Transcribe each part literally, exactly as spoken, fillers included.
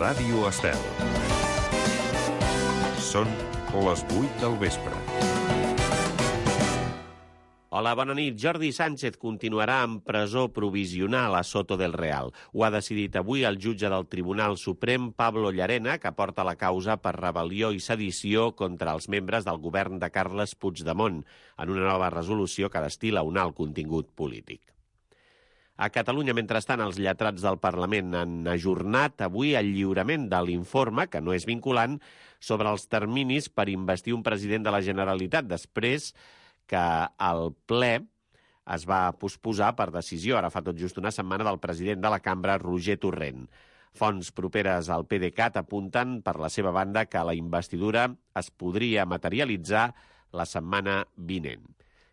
Ràdio Estel. Són les vuit del vespre. Hola, bona nit. Jordi Sánchez continuarà en presó provisional a Soto del Real. Ho ha decidit avui el jutge del Tribunal Suprem, Pablo Llarena, que porta la causa per rebel·lió i sedició contra els membres del govern de Carles Puigdemont, en una nova resolució que destila un alt contingut polític. A Catalunya, mentrestant, els lletrats del Parlament han ajornat avui el lliurament de l'informe, que no és vinculant, sobre els terminis per investir un president de la Generalitat, després que el ple es va posposar per decisió, ara fa tot just una setmana, del president de la cambra, Roger Torrent. Fonts properes al PDeCAT apunten, per la seva banda, que la investidura es podria materialitzar la setmana vinent.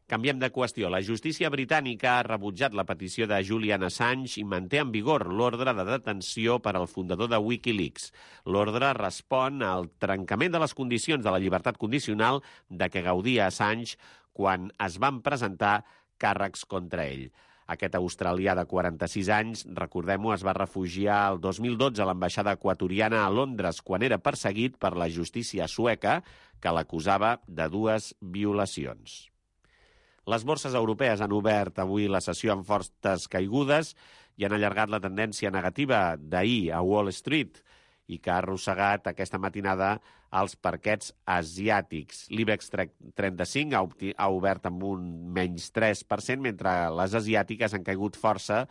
Canviem de qüestió. La justícia britànica ha rebutjat la petició de Julian Assange i manté en vigor l'ordre de detenció per al fundador de Wikileaks. L'ordre respon al trencament de les condicions de la llibertat condicional de què gaudia Assange quan es van presentar càrrecs contra ell. Aquest australià de quaranta-sis anys, recordem-ho, es va refugiar el dos mil dotze a l'ambaixada equatoriana a Londres quan era perseguit per la justícia sueca, que l'acusava de dues violacions. Les borses europees han obert avui la sessió amb fortes caigudes i han allargat la tendència negativa d'ahir a Wall Street i que ha arrossegat aquesta matinada als parquets asiàtics. L'IBEX trenta-cinc ha, ha obert amb un menys tres per cent, mentre les asiàtiques han caigut força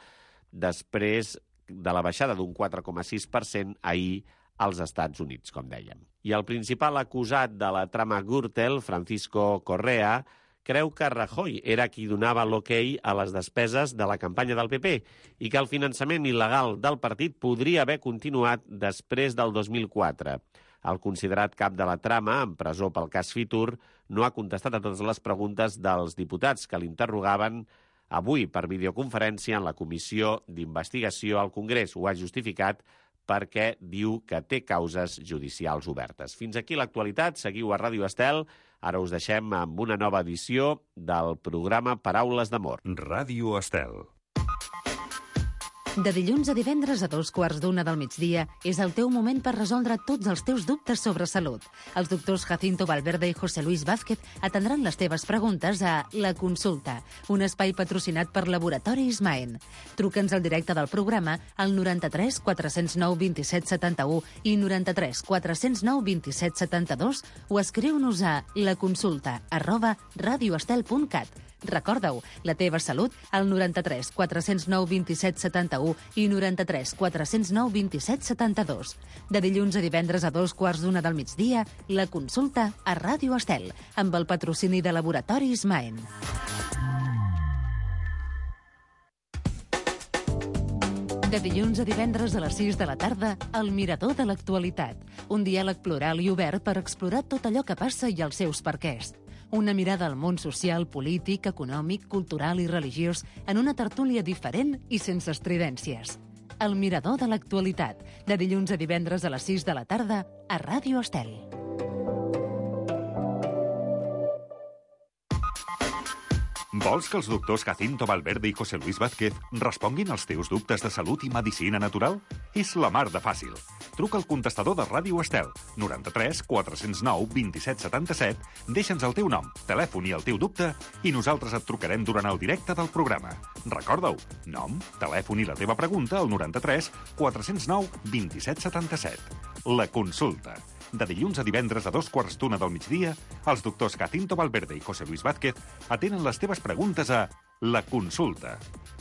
després de la baixada d'un quatre coma sis per cent ahir als Estats Units, com dèiem. I el principal acusat de la trama Gürtel, Francisco Correa, creu que Rajoy era qui donava l'ok a les despeses de la campanya del P P i que el finançament il·legal del partit podria haver continuat després del dos mil quatre. El considerat cap de la trama, en presó pel cas Fitur, no ha contestat a totes les preguntes dels diputats que l'interrogaven avui per videoconferència en la Comissió d'Investigació al Congrés. Ho ha justificat perquè diu que té causes judicials obertes. Fins aquí l'actualitat. Seguiu a Ràdio Estel. Ara us deixem amb una nova edició del programa Paraules d'Amor. Ràdio Estel. De dilluns a divendres a dos quarts d'una del migdia és el teu moment per resoldre tots els teus dubtes sobre salut. Els doctors Jacinto Valverde i José Luis Vázquez atendran les teves preguntes a La Consulta, un espai patrocinat per Laboratoris Maen. Truca'ns al directe del programa al noranta-tres quatre cents nou vint-i-set setanta-u i noranta-tres quatre cents nou vint-i-set setanta-dos o escriu-nos a laconsulta arroba radioestel punt cat. Recorda-ho, la teva salut al noranta-tres quatre cents nou vint-i-set setanta-u i noranta-tres quatre cents nou vint-i-set setanta-dos. De dilluns a divendres a dos quarts d'una del migdia, La Consulta a Ràdio Estel, amb el patrocini de Laboratoris Maen. De dilluns a divendres a les sis de la tarda, El Mirador de l'Actualitat. Un diàleg plural i obert per explorar tot allò que passa i els seus perquès. Una mirada al món social, polític, econòmic, cultural i religiós en una tertúlia diferent i sense estridències. El Mirador de l'Actualitat, de dilluns a divendres a les sis de la tarda a Ràdio Estel. Vols que els doctors Jacinto Valverde i José Luis Vázquez responguin als teus dubtes de salut i medicina natural? És la mar de fàcil. Truca al contestador de Ràdio Estel, noranta-tres quatre cents nou vint-i-set setanta-set, deixa'ns el teu nom, telèfon i el teu dubte i nosaltres et trucarem durant el directe del programa. Recorda-ho, nom, telèfon i la teva pregunta al noranta-tres quatre cents nou vint-i-set setanta-set. La Consulta. De dilluns a divendres a dos quarts d'una del migdia, els doctors Jacinto Valverde i José Luis Vázquez atenen les teves preguntes a La Consulta.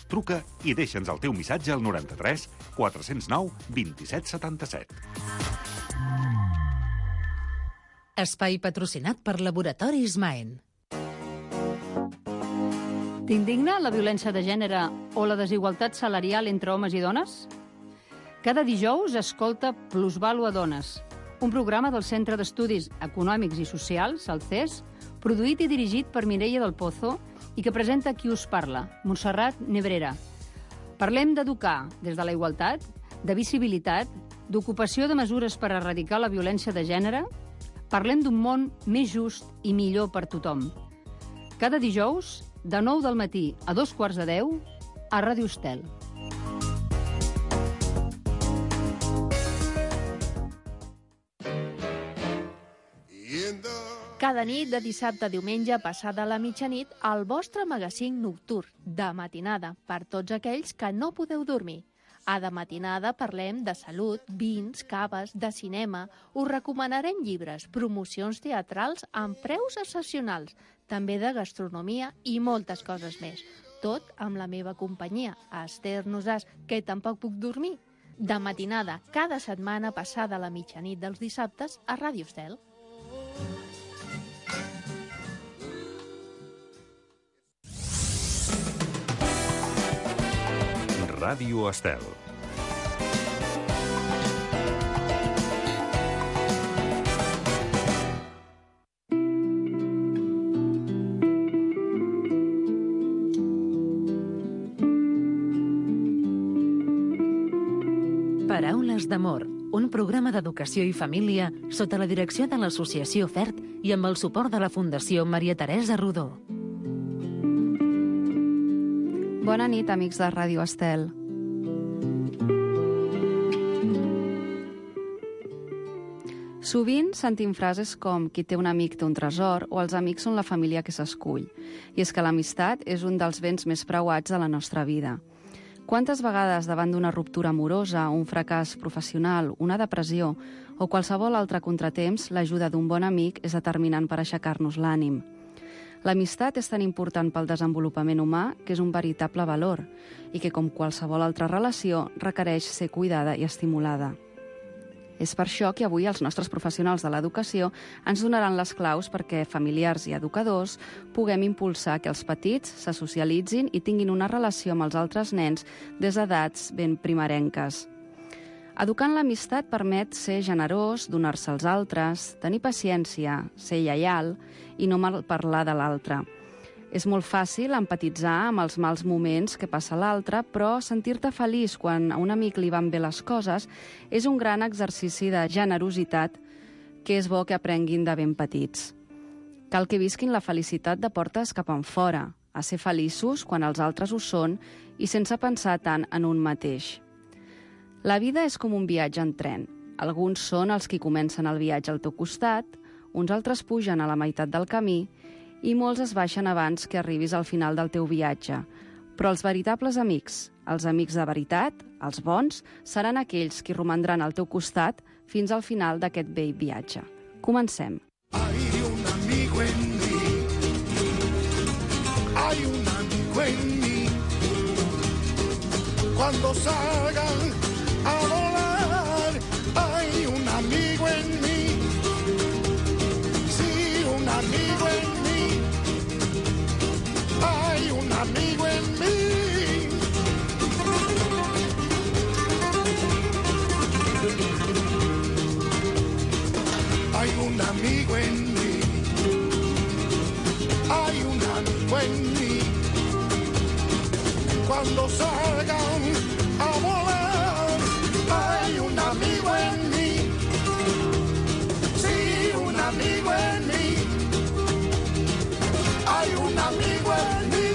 Truca i deixa'ns el teu missatge al noranta-tres quatre cents nou vint-i-set setanta-set. Espai patrocinat per Laboratoris Maen. T'indigna la violència de gènere o la desigualtat salarial entre homes i dones? Cada dijous escolta Plusvàlua Dones, un programa del Centre d'Estudis Econòmics i Socials, el C E S, produït i dirigit per Mireia del Pozo i que presenta qui us parla, Montserrat Nebrera. Parlem d'educar des de la igualtat, de visibilitat, d'ocupació de mesures per erradicar la violència de gènere. Parlem d'un món més just i millor per tothom. Cada dijous, de nou del matí a dos quarts de deu, a Ràdio Estel. Cada nit de dissabte a diumenge passada la mitjanit, el vostre magazín nocturn de matinada per tots aquells que no podeu dormir. A De Matinada parlem de salut, vins, caves, de cinema, us recomanarem llibres, promocions teatrals amb preus excepcionals, també de gastronomia i moltes coses més. Tot amb la meva companyia, Esther Nosàs, que tampoc puc dormir. De Matinada, cada setmana passada la mitjanit dels dissabtes a Ràdio Estel. Ràdio Estel. Paraules d'amor, un programa d'educació i família sota la direcció de l'Associació FERT i amb el suport de la Fundació Maria Teresa Rodó. Bona nit, amics de Ràdio Estel. Sovint sentim frases com qui té un amic té un tresor o els amics són la família que s'escull. I és que l'amistat és un dels béns més preuats de la nostra vida. Quantes vegades davant d'una ruptura amorosa, un fracàs professional, una depressió o qualsevol altre contratemps, l'ajuda d'un bon amic és determinant per aixecar-nos l'ànim. L'amistat és tan important pel desenvolupament humà que és un veritable valor i que, com qualsevol altra relació, requereix ser cuidada i estimulada. És per això que avui els nostres professionals de l'educació ens donaran les claus perquè familiars i educadors puguem impulsar que els petits se socialitzin i tinguin una relació amb els altres nens des d'edats ben primerenques. Educar en l'amistat permet ser generós, donar-se als altres, tenir paciència, ser lleial i no malparlar de l'altre. És molt fàcil empatitzar amb els mals moments que passa l'altre, però sentir-te feliç quan a un amic li van bé les coses és un gran exercici de generositat que és bo que aprenguin de ben petits. Cal que visquin la felicitat de portes cap enfora, a ser feliços quan els altres ho són i sense pensar tant en un mateix. La vida és com un viatge en tren. Alguns són els que comencen el viatge al teu costat, uns altres pugen a la meitat del camí i molts es baixen abans que arribis al final del teu viatge. Però els veritables amics, els amics de veritat, els bons, seran aquells que romandran al teu costat fins al final d'aquest vell viatge. Comencem. Hay un amigo en mí, hay un amigo en mí, cuando salgan a volar, hay un amigo en mí, sí, un amigo en mí, hay un amigo en mí. Hay un amigo en mí, hay un amigo en mí, cuando salgan a volar. Hay un amigo en mí, sí, un amigo en mí, hay un amigo en mí.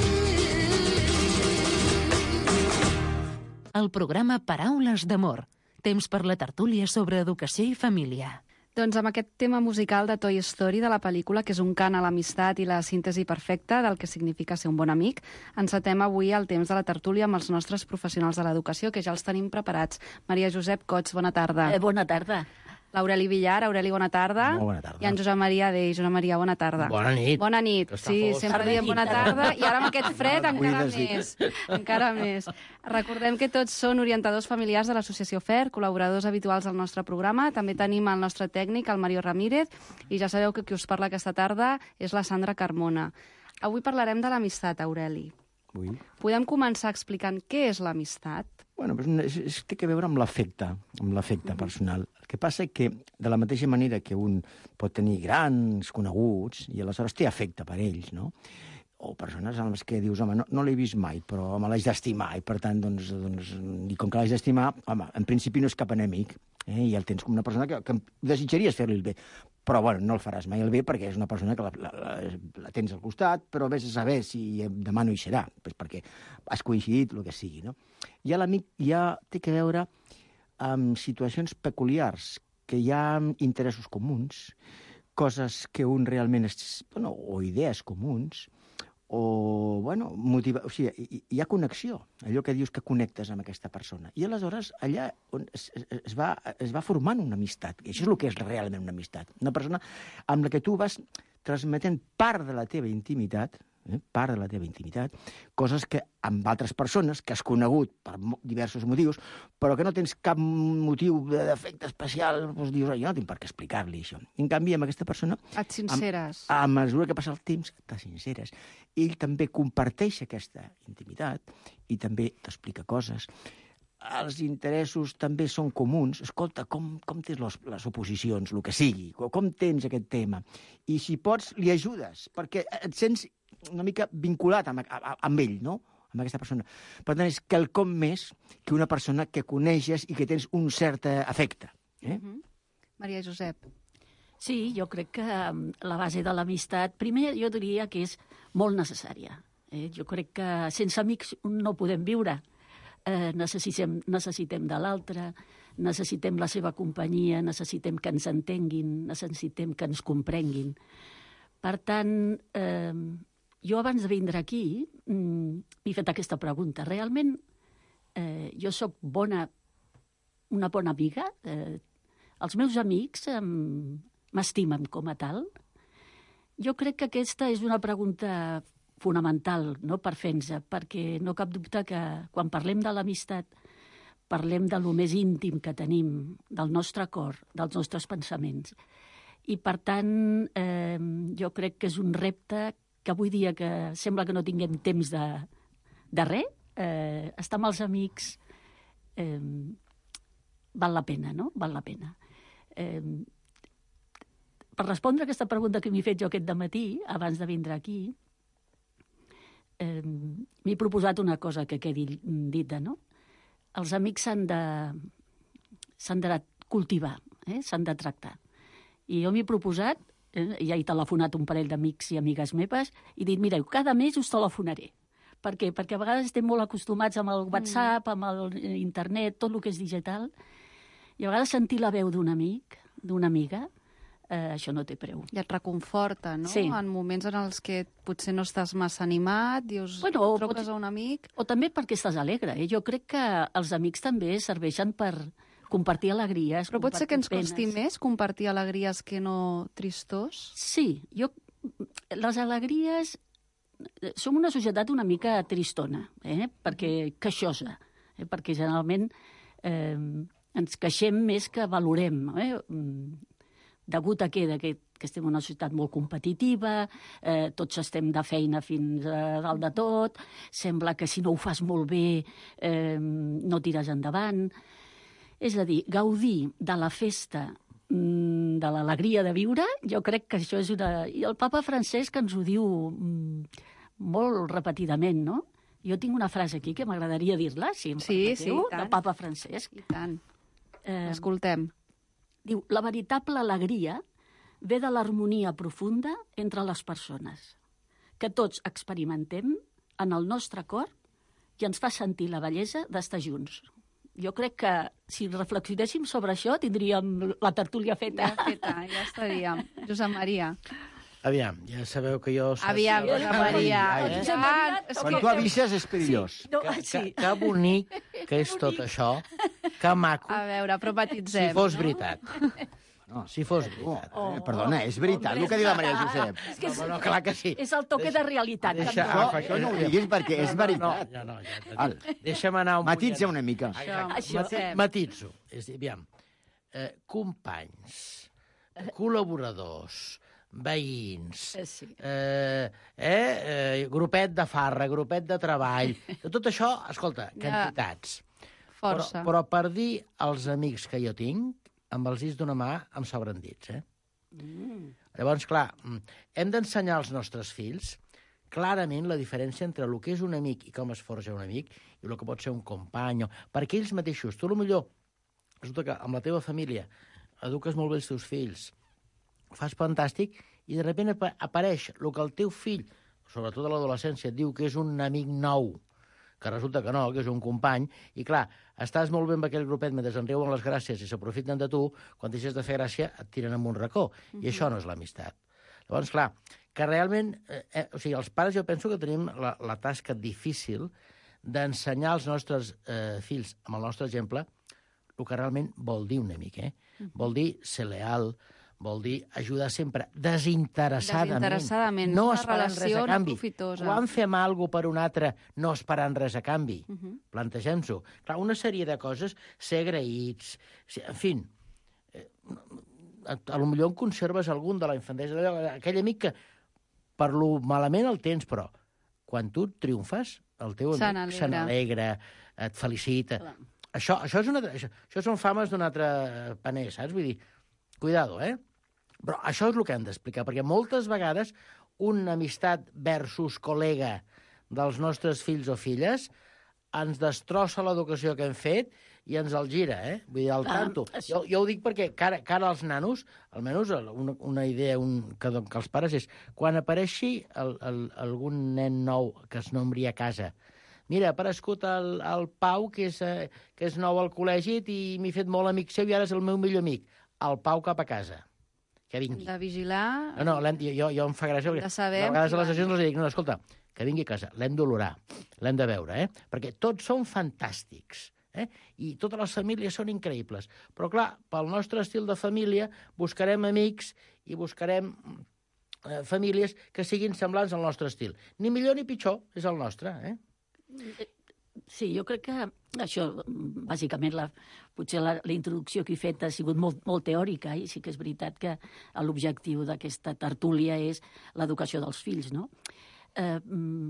El programa Paraules d'amor, temps per la tertúlia sobre educació i família. Doncs amb aquest tema musical de Toy Story de la pel·lícula, que és un cant a l'amistat i la síntesi perfecta del que significa ser un bon amic, encetem avui el temps de la tertúlia amb els nostres professionals de l'educació, que ja els tenim preparats. Maria Josep Cots, bona tarda. Eh, bona tarda. L'Aureli Villar. Aureli, bona tarda. Molt bona tarda. I en Josep Maria Dei. Josep Maria, bona tarda. Bona nit. Bona nit. Sí, sempre diem bona tarda. I ara amb aquest fred encara més. Encara més. Recordem que tots són orientadors familiars de l'Associació FERT, col·laboradors habituals del nostre programa. També tenim el nostre tècnic, el Mario Ramírez, i ja sabeu que qui us parla aquesta tarda és la Sandra Carmona. Avui parlarem de l'amistat, Aureli. Ui. Podem començar explicant què és l'amistat? Bueno, és, és, té a veure amb l'afecte, amb l'afecte personal. El que passa és que, de la mateixa manera que un pot tenir grans coneguts, i aleshores té afecte per ells, no? O persones amb les que dius, home, no, no l'he vist mai, però me l'haig d'estimar, i per tant, doncs, doncs, i com que l'haig d'estimar, home, en principi no és cap enemic, eh? I el tens com una persona que, que desitjaries fer-li el bé, però, bueno, no el faràs mai el bé perquè és una persona que la, la, la, la tens al costat, però vés a saber si demà no hi serà, pues perquè has coincidit, el que sigui, no? I l'amic ja té a veure amb situacions peculiars, que hi ha interessos comuns, coses que un realment... És, bueno, o idees comuns, o, bueno, motiva... O sigui, hi, hi ha connexió, allò que dius que connectes amb aquesta persona. I aleshores allà on es, es, va, es va formant una amistat, i això és el que és realment una amistat. Una persona amb la que tu vas transmetent part de la teva intimitat, eh, part de la teva intimitat, coses que amb altres persones que has conegut per diversos motius, però que no tens cap motiu d'efecte especial, doncs dius, jo no tinc per què explicar-li això. En canvi, amb aquesta persona... Et sinceres. A, a mesura que passa el temps, t'has sinceres. Ell també comparteix aquesta intimitat i també t'explica coses. Els interessos també són comuns. Escolta, com, com tens les, les oposicions, el que sigui, com tens aquest tema? I si pots, li ajudes, perquè et sents una mica vinculat amb, amb ell, no?, amb aquesta persona. Per tant, és quelcom més que una persona que coneixes i que tens un cert afecte. Eh? Uh-huh. Maria Josep. Sí, jo crec que la base de l'amistat, primer jo diria que és molt necessària. Eh? Jo crec que sense amics no podem viure. Eh, necessitem, necessitem de l'altre, necessitem la seva companyia, necessitem que ens entenguin, necessitem que ens comprenguin. Per tant, eh, jo abans de vindre aquí m'he fet aquesta pregunta. Realment, eh, jo sóc bona, una bona amiga? Eh, els meus amics eh, m'estimen com a tal? Jo crec que aquesta és una pregunta fonamental, no, per fer-nos, perquè no cap dubte que quan parlem de l'amistat parlem de lo més íntim que tenim, del nostre cor, dels nostres pensaments. I, per tant, eh, jo crec que és un repte que avui dia que sembla que no tinguem temps de, de res, eh, estar amb els amics eh, val la pena, no? Val la pena. Eh, per respondre a aquesta pregunta que m'he fet jo aquest dematí, abans de vindre aquí, Eh, m'he proposat una cosa que quedi dita, no? Els amics s'han de, s'han de cultivar, eh? S'han de tractar. I jo m'he proposat, eh? ja he telefonat un parell d'amics i amigues meves, i dit, mireu, cada mes us telefonaré. Per què? Perquè a vegades estem molt acostumats amb el WhatsApp, amb el internet, tot el que és digital, i a vegades sentir la veu d'un amic, d'una amiga, Eh, això no té preu. I et reconforta, no? Sí. En moments en els que potser no estàs massa animat, dius, bueno, truques pot... a un amic... O també perquè estàs alegre. Eh? Jo crec que els amics també serveixen per compartir alegries, Però pot ser que ens penes. costi més compartir alegries que no tristors? Sí. Jo... Les alegries... Som una societat una mica tristona, eh? Perquè queixosa, eh? Perquè generalment eh, ens queixem més que valorem, eh? Degut a què? Que, que estem en una societat molt competitiva, eh, tots estem de feina fins a dalt de tot, sembla que si no ho fas molt bé eh, no tires endavant. És a dir, gaudir de la festa, mm, de l'alegria de viure, jo crec que això és una... I el papa Francesc ens ho diu mm, molt repetidament, no? Jo tinc una frase aquí que m'agradaria dir-la, si em sí, permeteu, sí, del papa Francesc. I tant. Eh, Escoltem. Diu, la veritable alegria ve de l'harmonia profunda entre les persones, que tots experimentem en el nostre cor i ens fa sentir la bellesa d'estar junts. Jo crec que si reflexionéssim sobre això tindríem la tertúlia feta. Ja feta, ja estaríem. Josep Maria. Aviam, ja sabeu que jo... Soc... Aviam, Josep Maria. Eh? Josep Maria, Ah, Quan tu avises és perillós. Sí, no, Que, sí. que, que bonic que és tot això, que maco, A veure, però matitzem. si fos veritat. No, Si fos veritat. Oh, eh, perdona, és veritat el que diu la Maria Josep. És, que és, No, no, clar que sí. és el toque de realitat. Deixa- també. No, Ah, això no ho diguis perquè és veritat. No, no, no, ja, Val. deixa'm anar un Matitza punt. una mica. Això, Això. Josep. Matitzo. És a dir, aviam, eh, companys, col·laboradors, veïns, Eh, sí. eh, eh, eh, grupet de farra, grupet de treball, de tot això, escolta, quantitats. Força. Però, però per dir als amics que jo tinc, amb els dits d'una mà em sobren dits, eh? Mm. Llavors, clar, hem d'ensenyar als nostres fills clarament la diferència entre el que és un amic i com es forja un amic i el que pot ser un company, perquè ells mateixos, tu potser resulta que amb la teva família eduques molt bé els teus fills, ho fas fantàstic, i de sobte ap apareix el que el teu fill, sobretot a l'adolescència, et diu que és un amic nou, que resulta que no, que és un company, i clar, estàs molt bé amb aquell grupet mentre en riuen les gràcies i s'aprofiten de tu, quan deixes de fer gràcia et tiren en un racó, i això no és l'amistat. Llavors, clar, que realment, eh, eh, o sigui, els pares jo penso que tenim la, la tasca difícil d'ensenyar als nostres eh, fills, amb el nostre exemple, el que realment vol dir un amic, eh? Uh-huh. Vol dir ser leal, vol dir ajudar sempre desinteressadament. Desinteressadament, no una esperant res relació a canvi. no profitosa. Quan fem alguna per un altre, no esperant res a canvi. Uh-huh. Plantegem-s'ho. Clar, una sèrie de coses, ser agraïts, ser, en fi, eh, a, a lo millor en conserves algun de la infantesa, aquell amic que per lo malament el tens, però quan tu triomfes, el teu amic se n'alegra, et felicita. Clar. Això, això, és una, això, això són fames d'un altre paner, saps? Vull dir, cuidado, eh? Però això és el que hem d'explicar, perquè moltes vegades una amistat versus col·lega dels nostres fills o filles ens destrossa l'educació que hem fet i ens el gira, eh? Vull dir, al tanto. Ah, jo, jo ho dic perquè cara, cara als nanos, almenys una, una idea un, que, que els pares és, quan apareixi el, el, algun nen nou que es nombri a casa, mira, ha aparegut el, el Pau, que és, eh, que és nou al col·legi i m'he fet molt amic seu i ara és el meu millor amic. El Pau cap a casa. Que vingui. De vigilar... No, no, jo, jo em fa gràcia. De saber... A vegades a les sessions els dic, no, escolta, que vingui a casa, l'hem d'olorar, l'hem de veure, eh? Perquè tots són fantàstics, eh? I totes les famílies són increïbles. Però, clar, pel nostre estil de família buscarem amics i buscarem eh, famílies que siguin semblants al nostre estil. Ni millor ni pitjor, és el nostre, eh? Sí, jo crec que això, bàsicament, la, potser la, la introducció que he fet ha sigut molt, molt teòrica i sí que és veritat que l'objectiu d'aquesta tertúlia és l'educació dels fills, no? Eh,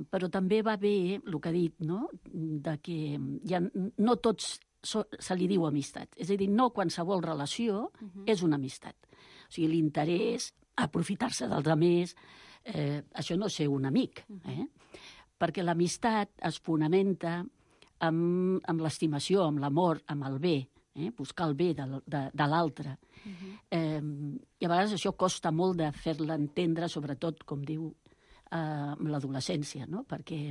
però també va bé el que ha dit, no?, de que ja no tots so, se li diu amistat. És a dir, no qualsevol relació uh-huh. és una amistat. O sigui, l'interès, aprofitar-se dels altres, eh, això no és ser un amic, eh? Perquè l'amistat es fonamenta amb, amb l'estimació, amb l'amor, amb el bé, eh? Buscar el bé de, de, de l'altre. Uh-huh. Eh, I a vegades això costa molt de fer-la entendre, sobretot, com diu, eh, amb l'adolescència, no? Perquè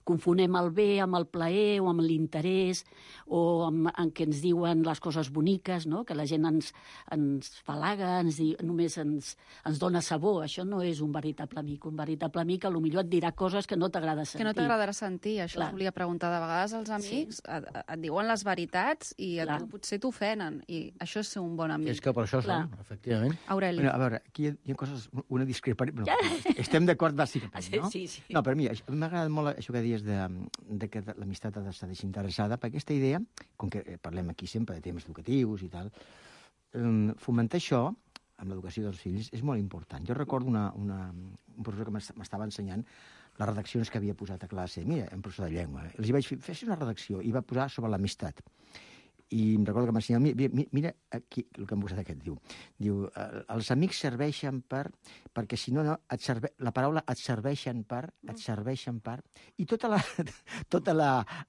confonem el bé amb el plaer o amb l'interès o amb, amb què ens diuen les coses boniques, no? Que la gent ens, ens falaga, ens di, només ens, ens dona sabor. Això no és un veritable amic. Un veritable amic potser et dirà coses que no t'agrada sentir. Que no t'agradarà sentir. Això Clar. volia preguntar. De vegades els amics sí. et, et diuen les veritats i a Clar. tu potser t'ofenen. I això és ser un bon amic. És que per això Clar. són, efectivament. Aureli. Bueno, a veure, aquí hi ha, hi ha coses, una discrepància... No, estem d'acord bàsicament, no? Sí, sí. No, per mi, m'ha agradat molt això que dius de, de que l'amistat ha d'estar desinteressada, perquè aquesta idea, com que parlem aquí sempre de temes educatius i tal, fomentar això amb l'educació dels fills és molt important. Jo recordo una, una, un professor que m'estava ensenyant les redaccions que havia posat a classe. Mira, un professor de llengua. Els hi vaig fer, fes una redacció i va posar sobre l'amistat. I em recordo que m'ensenyava, mira, mira aquí el que em posat aquest, diu, diu els amics serveixen per, perquè si no, no et serve, la paraula et serveixen per, et serveixen per, i tota la, tota la,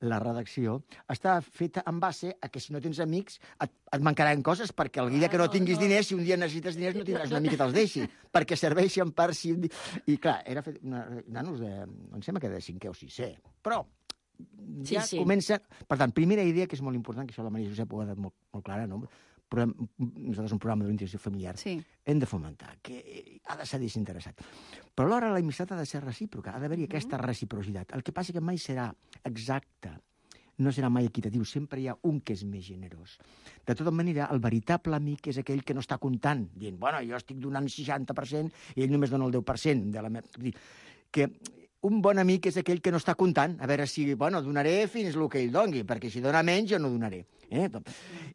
la redacció està feta en base a que si no tens amics et, et mancaran coses, perquè el dia que no tinguis diners, si un dia necessites diners, no tindràs un amic que te'ls deixi, perquè serveixen per si... I clar, era fet una, nanos de, em sembla que de cinquè o sisè, però ja sí, sí. comença... Per tant, primera idea, que és molt important, que això la Maria Josep ho ha dit molt, molt clara, no? Però nosaltres un programa d'orientació familiar sí. hem de fomentar, que ha de ser desinteressat. Però alhora l'amistat ha de ser recíproca, ha d'haver-hi mm. aquesta reciprocitat. El que passa que mai serà exacte, no serà mai equitatiu, sempre hi ha un que és més generós. De tota manera, el veritable amic és aquell que no està comptant, dient, bueno, jo estic donant seixanta per cent i ell només dona el deu per cent de la meva... Que un bon amic és aquell que no està comptant, a veure si, bueno, donaré fins el que ell doni, perquè si dona menys jo no donaré. Eh?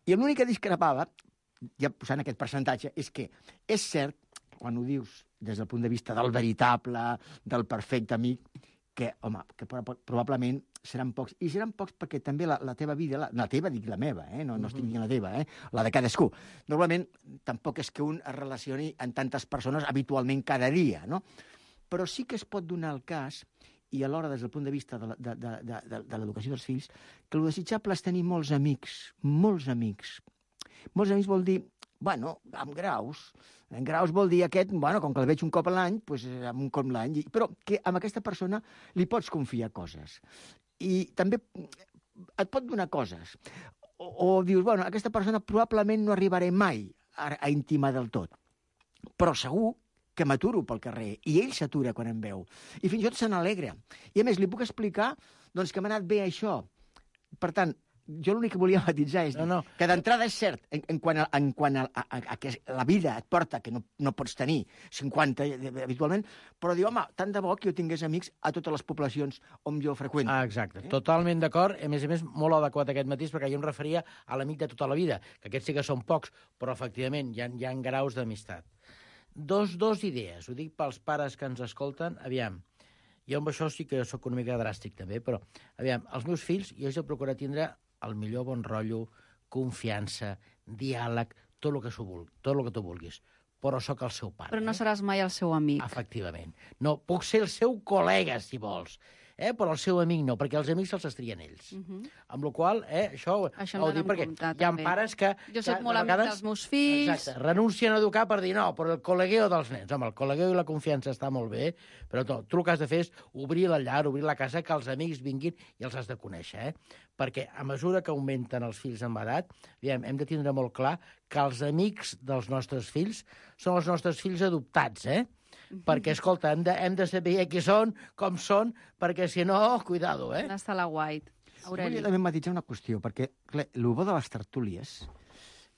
I l'únic que discrepava, ja posant aquest percentatge, és que és cert, quan ho dius des del punt de vista del veritable, del perfecte amic, que, home, que probablement seran pocs. I seran pocs perquè també la, la teva vida, la, la teva, dic la meva, eh? no, no estic dient la teva, eh? la de cadascú. Normalment tampoc és que un es relacioni amb tantes persones habitualment cada dia, no? Però sí que es pot donar el cas, i alhora des del punt de vista de, de, de, de, de, de l'educació dels fills, que el desitjable és tenir molts amics, molts amics. Molts amics vol dir, bueno, amb graus. En graus vol dir aquest, bueno, com que el veig un cop a l'any, doncs amb un cop l'any. Però que amb aquesta persona li pots confiar coses. I també et pot donar coses. O, o dius, bueno, aquesta persona probablement no arribaré mai a, a intimar del tot. Però segur que m'aturo pel carrer, i ell s'atura quan em veu. I fins i tot se n'alegra. I a més, li puc explicar doncs, que m'ha anat bé això. Per tant, jo l'únic que volia matitzar és no, no. que d'entrada és cert, en, en quant, a, en quant a, a, a, a que la vida et porta, que no, no pots tenir cinquanta habitualment, però diu, home, tant de bo que jo tingués amics a totes les poblacions on jo freqüento. Ah, exacte, eh? Totalment d'acord. A més a més, molt adequat aquest matís, perquè jo em referia a l'amic de tota la vida, que aquests sí que són pocs, però efectivament hi ha, hi ha graus d'amistat. Dos, dos idees, ho dic pels pares que ens escolten. Aviam, jo amb això sí que sóc una mica dràstic també, però aviam, els meus fills, jo he de procurar tindre el millor bon rotllo, confiança, diàleg, tot el que, tot el que tu vulguis. Però sóc el seu pare. Però no eh? seràs mai el seu amic. Efectivament. No, puc ser el seu col·lega, si vols, eh? Però el seu amic no, perquè els amics se'ls estrien ells. Uh -huh. Amb la qual cosa, eh, això, això ho dic perquè comptar, hi ha també. pares que... Jo sóc que, molt amic vegades, dels meus fills... Exacte, renuncien a educar per dir no, però el col·legueo dels nens. Home, el col·legueo i la confiança està molt bé, però tu, tu el que has de fer és obrir la llar, obrir la casa, que els amics vinguin i els has de conèixer, eh? Perquè a mesura que augmenten els fills en edat, diguem, hem de tindre molt clar que els amics dels nostres fills són els nostres fills adoptats, eh? Mm-hmm. Perquè, escolta, hem de, hem de saber qui són, com són, perquè si no, cuidado, eh? On està la White? Aureli. Volia també matitzar una qüestió, perquè clar, el bo de les tertúlies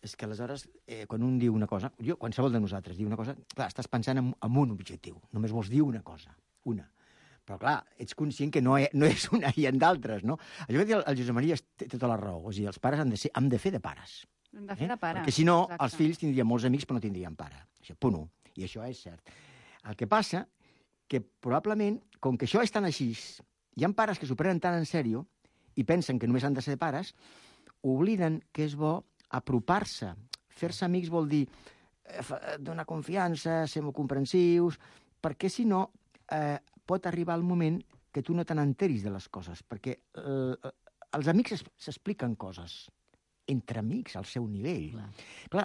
és que aleshores, eh, quan un diu una cosa, jo, qualsevol de nosaltres diu una cosa, clar, estàs pensant en, en un objectiu, només vols dir una cosa, una. Però, clar, ets conscient que no, hi, no és una, hi ha d'altres, no? Això que diu el, el Josep Maria té tota la raó. O sigui, els pares han de, ser, han de fer de pares. Hem de fer de pares. Perquè, si no, exacte. els fills tindrien molts amics, però no tindrien pare. Això, punt un. I això és cert. El que passa que, probablement, com que això és tan així, hi ha pares que s'ho prenen tan en sèrio i pensen que només han de ser pares, obliden que és bo apropar-se. Fer-se amics vol dir eh, donar confiança, ser molt comprensius, perquè, si no... Eh, pot arribar el moment que tu no te n'enteris de les coses, perquè eh, els amics s'expliquen coses entre amics al seu nivell. Clar. Clar,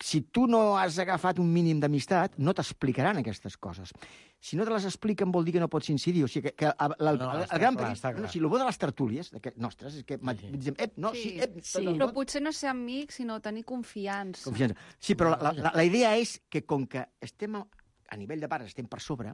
si tu no has agafat un mínim d'amistat, no t'explicaran aquestes coses. Si no te les expliquen vol dir que no pots incidir. O sigui, que, que el, el, no, el, el gran clar, perill... No, si el bo de les tertúlies, que, nostres, és que... Sí. Diem, ep, no, sí, sí, ep, sí. tot, tot, Però potser no ser amics, sinó tenir confiança. Confiança. Sí, però la, la, la idea és que com que estem a, a nivell de pares, estem per sobre,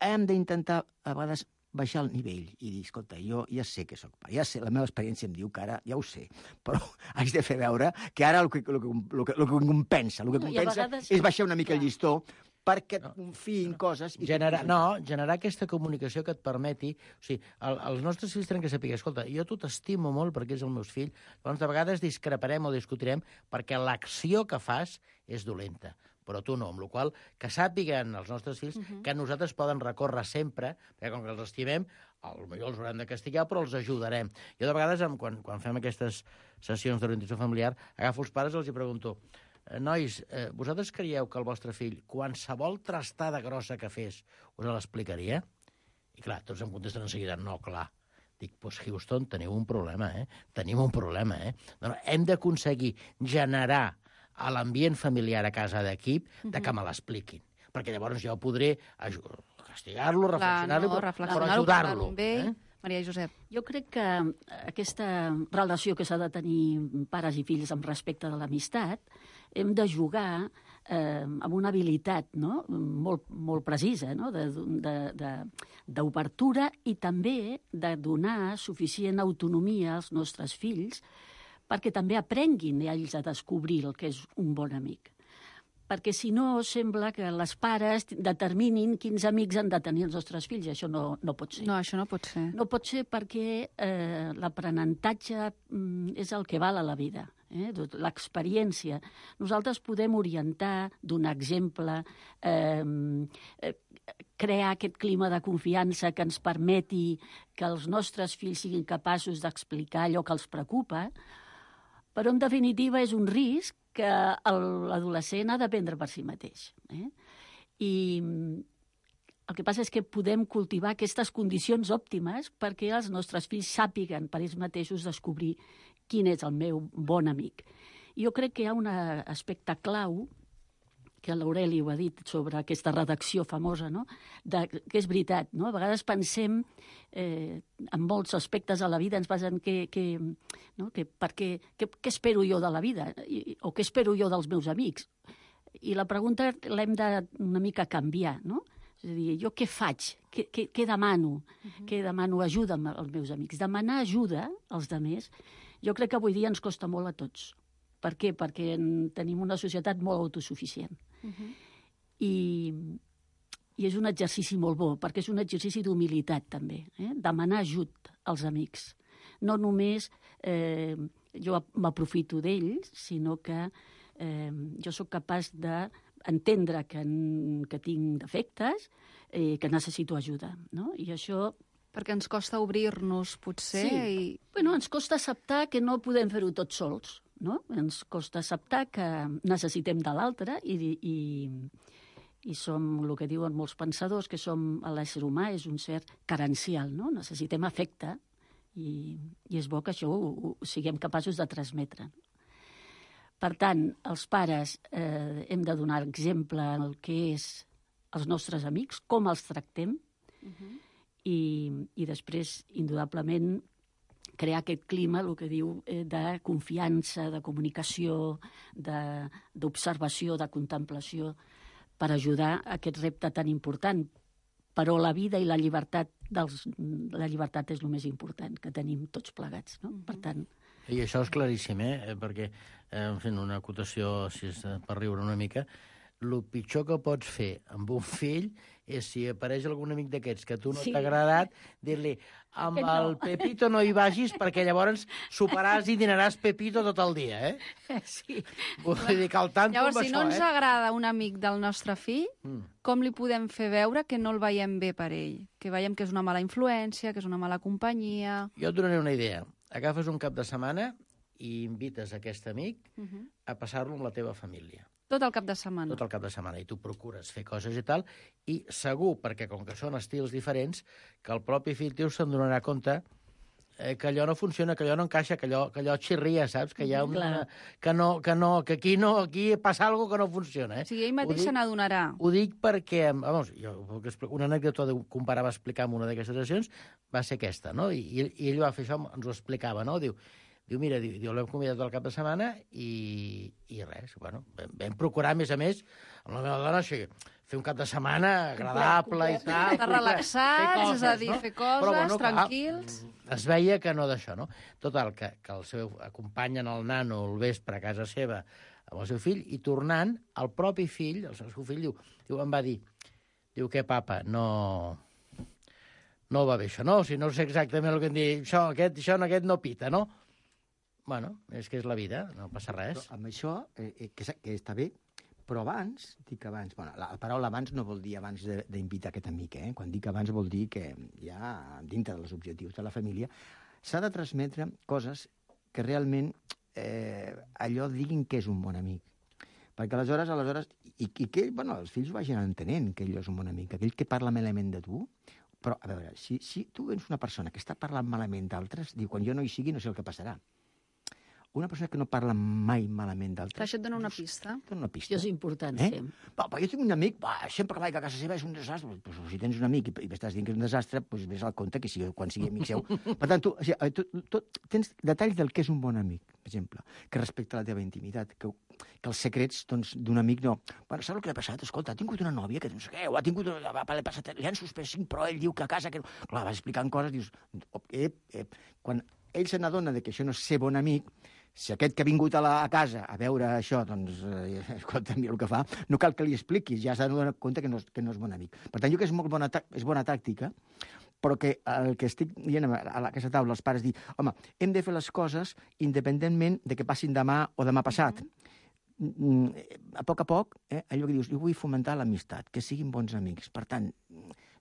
hem d'intentar, a vegades, baixar el nivell i dir, escolta, jo ja sé que sóc pare, ja sé, la meva experiència em diu que ara ja ho sé, però haig de fer veure que ara el que, el que, el que, el que compensa, el que compensa vegades... és baixar una mica el llistó perquè et confiïn coses... I generar, no, generar aquesta comunicació que et permeti... O sigui, el, els nostres fills tenen que saber, escolta, jo tu t'estimo molt perquè és el meus fill, llavors de vegades discreparem o discutirem perquè l'acció que fas és dolenta, però tu no, amb la qual cosa que sàpiguen els nostres fills uh-huh. que nosaltres poden recórrer sempre, perquè com que els estimem, potser els haurem de castigar, però els ajudarem. Jo de vegades, quan, quan fem aquestes sessions d'orientació familiar, agafo els pares i els hi pregunto, nois, eh, vosaltres creieu que el vostre fill, qualsevol trastada grossa que fes, us l'explicaria? I clar, tots em contesten en seguida, no, clar. Dic, doncs Houston, teniu un problema, eh? Tenim un problema, eh? No, no, hem d'aconseguir generar a l'ambient familiar a casa d'equip de que me l'expliquin. Perquè llavors jo podré castigar-lo, reflexionar-lo, no, però, però ajudar-lo. Eh? Maria Josep. Jo crec que aquesta relació que s'ha de tenir pares i fills amb respecte de l'amistat, hem de jugar eh, amb una habilitat no? molt, molt precisa, no? d'obertura i també de donar suficient autonomia als nostres fills perquè també aprenguin ells a descobrir el que és un bon amic. Perquè si no, sembla que les pares determinin quins amics han de tenir els nostres fills, i això no, no pot ser. No, això no pot ser. No pot ser perquè eh, l'aprenentatge mm, és el que val a la vida, eh? L'experiència. Nosaltres podem orientar, donar exemple, eh, eh, crear aquest clima de confiança que ens permeti que els nostres fills siguin capaços d'explicar allò que els preocupa, però, en definitiva, és un risc que l'adolescent ha d'aprendre per si mateix. Eh? I el que passa és que podem cultivar aquestes condicions òptimes perquè els nostres fills sàpiguen per ells mateixos descobrir quin és el meu bon amic. I jo crec que hi ha un aspecte clau que l'Aureli ho ha dit sobre aquesta redacció famosa, no? De, que és veritat, no? A vegades pensem eh, en molts aspectes de la vida, ens basen que, que, no? que, perquè, que, què espero jo de la vida I, o què espero jo dels meus amics. I la pregunta l'hem de una mica canviar, no? És a dir, jo què faig? Què, què, què demano? Uh-huh. Què demano ajuda als meus amics? Demanar ajuda als altres, jo crec que avui dia ens costa molt a tots. Per què? Perquè tenim una societat molt autosuficient. Uh-huh. I, I és un exercici molt bo, perquè és un exercici d'humilitat, també. Eh? Demanar ajut als amics. No només eh, jo m'aprofito d'ells, sinó que eh, jo sóc capaç d'entendre que, que tinc defectes, eh, que necessito ajuda. No? I això... Perquè ens costa obrir-nos, potser. Sí. I... Bueno, ens costa acceptar que no podem fer-ho tots sols. No? Ens costa acceptar que necessitem de l'altre i, i, i som, el que diuen molts pensadors, que som l'ésser humà és un ser carencial, no? Necessitem afecte i, i és bo que això ho, ho siguem capaços de transmetre. Per tant, els pares eh, hem de donar exemple el que és els nostres amics, com els tractem, uh-huh. i, i després, indudablement, crear aquest clima, el que diu, eh, de confiança, de comunicació, d'observació, de, de contemplació, per ajudar a aquest repte tan important. Però la vida i la llibertat, dels, la llibertat és el més important que tenim tots plegats. No? Mm-hmm. Per tant... I això és claríssim, eh? Perquè, eh, en fi, una acotació, si és per riure una mica, el pitjor que pots fer amb un fill és si apareix algun amic d'aquests que a tu no sí. t'ha agradat, dir-li amb no. el Pepito no hi vagis perquè llavors soparàs i dinaràs Pepito tot el dia, eh? Sí. Vull dir que al tanto llavors, amb si això, no ens eh? agrada un amic del nostre fill, mm. com li podem fer veure que no el veiem bé per ell? Que veiem que és una mala influència, que és una mala companyia... Jo et donaré una idea. Agafes un cap de setmana i invites aquest amic uh-huh. a passar-lo amb la teva família. Tot el cap de setmana. Tot el cap de setmana. I tu procures fer coses i tal, i segur, perquè com que són estils diferents, que el propi fill teu se'n donarà compte eh, que allò no funciona, que allò no encaixa, que allò, que allò xirria, saps? Que hi ha una... Que, no, que, no, que aquí, no, aquí passa alguna cosa que no funciona. Eh? O sigui, ell mateix se n'adonarà. Ho dic perquè, vamos, jo, una anècdota que un pare va explicar en una d'aquestes sessions va ser aquesta, no? I, i ell va fer això, ens ho explicava, no? Diu, Diu, mira, diu, diu l'hem convidat al cap de setmana i, i res, bueno, vam, vam procurar, a més a més, amb la meva dona, o sigui, fer un cap de setmana agradable i tal. Estar relaxats, coses, és a dir, no? fer coses, però, bueno, tranquils. Clar, es veia que no d'això, no? Total, que, que el seu acompanyen el nano el vespre a casa seva amb el seu fill i tornant, el propi fill, el seu fill, diu, diu em va dir, diu, què, papa, no... no va bé això, no? O sigui, no sé exactament el que em diu, això, aquest, això, aquest no pita, no? Bueno, és que és la vida, no passa res. Però amb això, eh, que, que està bé, però abans, dic abans, bueno, la, la paraula abans no vol dir abans d'invitar aquest amic, eh? Quan dic abans vol dir que ja dintre dels objectius de la família s'ha de transmetre coses que realment eh, allò diguin que és un bon amic. Perquè aleshores, aleshores i, i que bueno, els fills ho vagin entenent que ell és un bon amic, aquell que parla malament de tu. Però, a veure, si, si tu ets una persona que està parlant malament d'altres, diu, quan jo no hi sigui no sé el que passarà. Una persona que no parla mai malament d'altres... Això et dona una pista. Et dona una pista. Això és important, eh? sí. Va, jo tinc un amic, va, sempre que vaig a casa seva és un desastre. Pues, si tens un amic i, i m'estàs dient que és un desastre, doncs vés al compte que sigui, quan sigui amic seu. Per tant, tu, o sigui, tu, tu tens detalls del que és un bon amic, per exemple, que respecta la teva intimitat, que, que els secrets doncs, d'un amic no... Bueno, saps el que ha passat? Escolta, ha tingut una nòvia que no sé què, o ha tingut... Una... Va, passat, li han suspès cinc, però ell diu que a casa... Que no... Clar, vas explicant coses, dius... Ep, ep. Quan ell se n'adona que això no és ser bon amic, si aquest que ha vingut a la a casa a veure això, doncs, eh, escolta, mira el que fa, no cal que li expliquis, ja s'ha de donar compte que no, és, que no és bon amic. Per tant, jo que és molt bona, és bona tàctica, però que el que estic dient a aquesta taula, els pares dir, home, hem de fer les coses independentment de que passin demà o demà passat. Mm-hmm. A poc a poc, eh, allò que dius, jo vull fomentar l'amistat, que siguin bons amics. Per tant,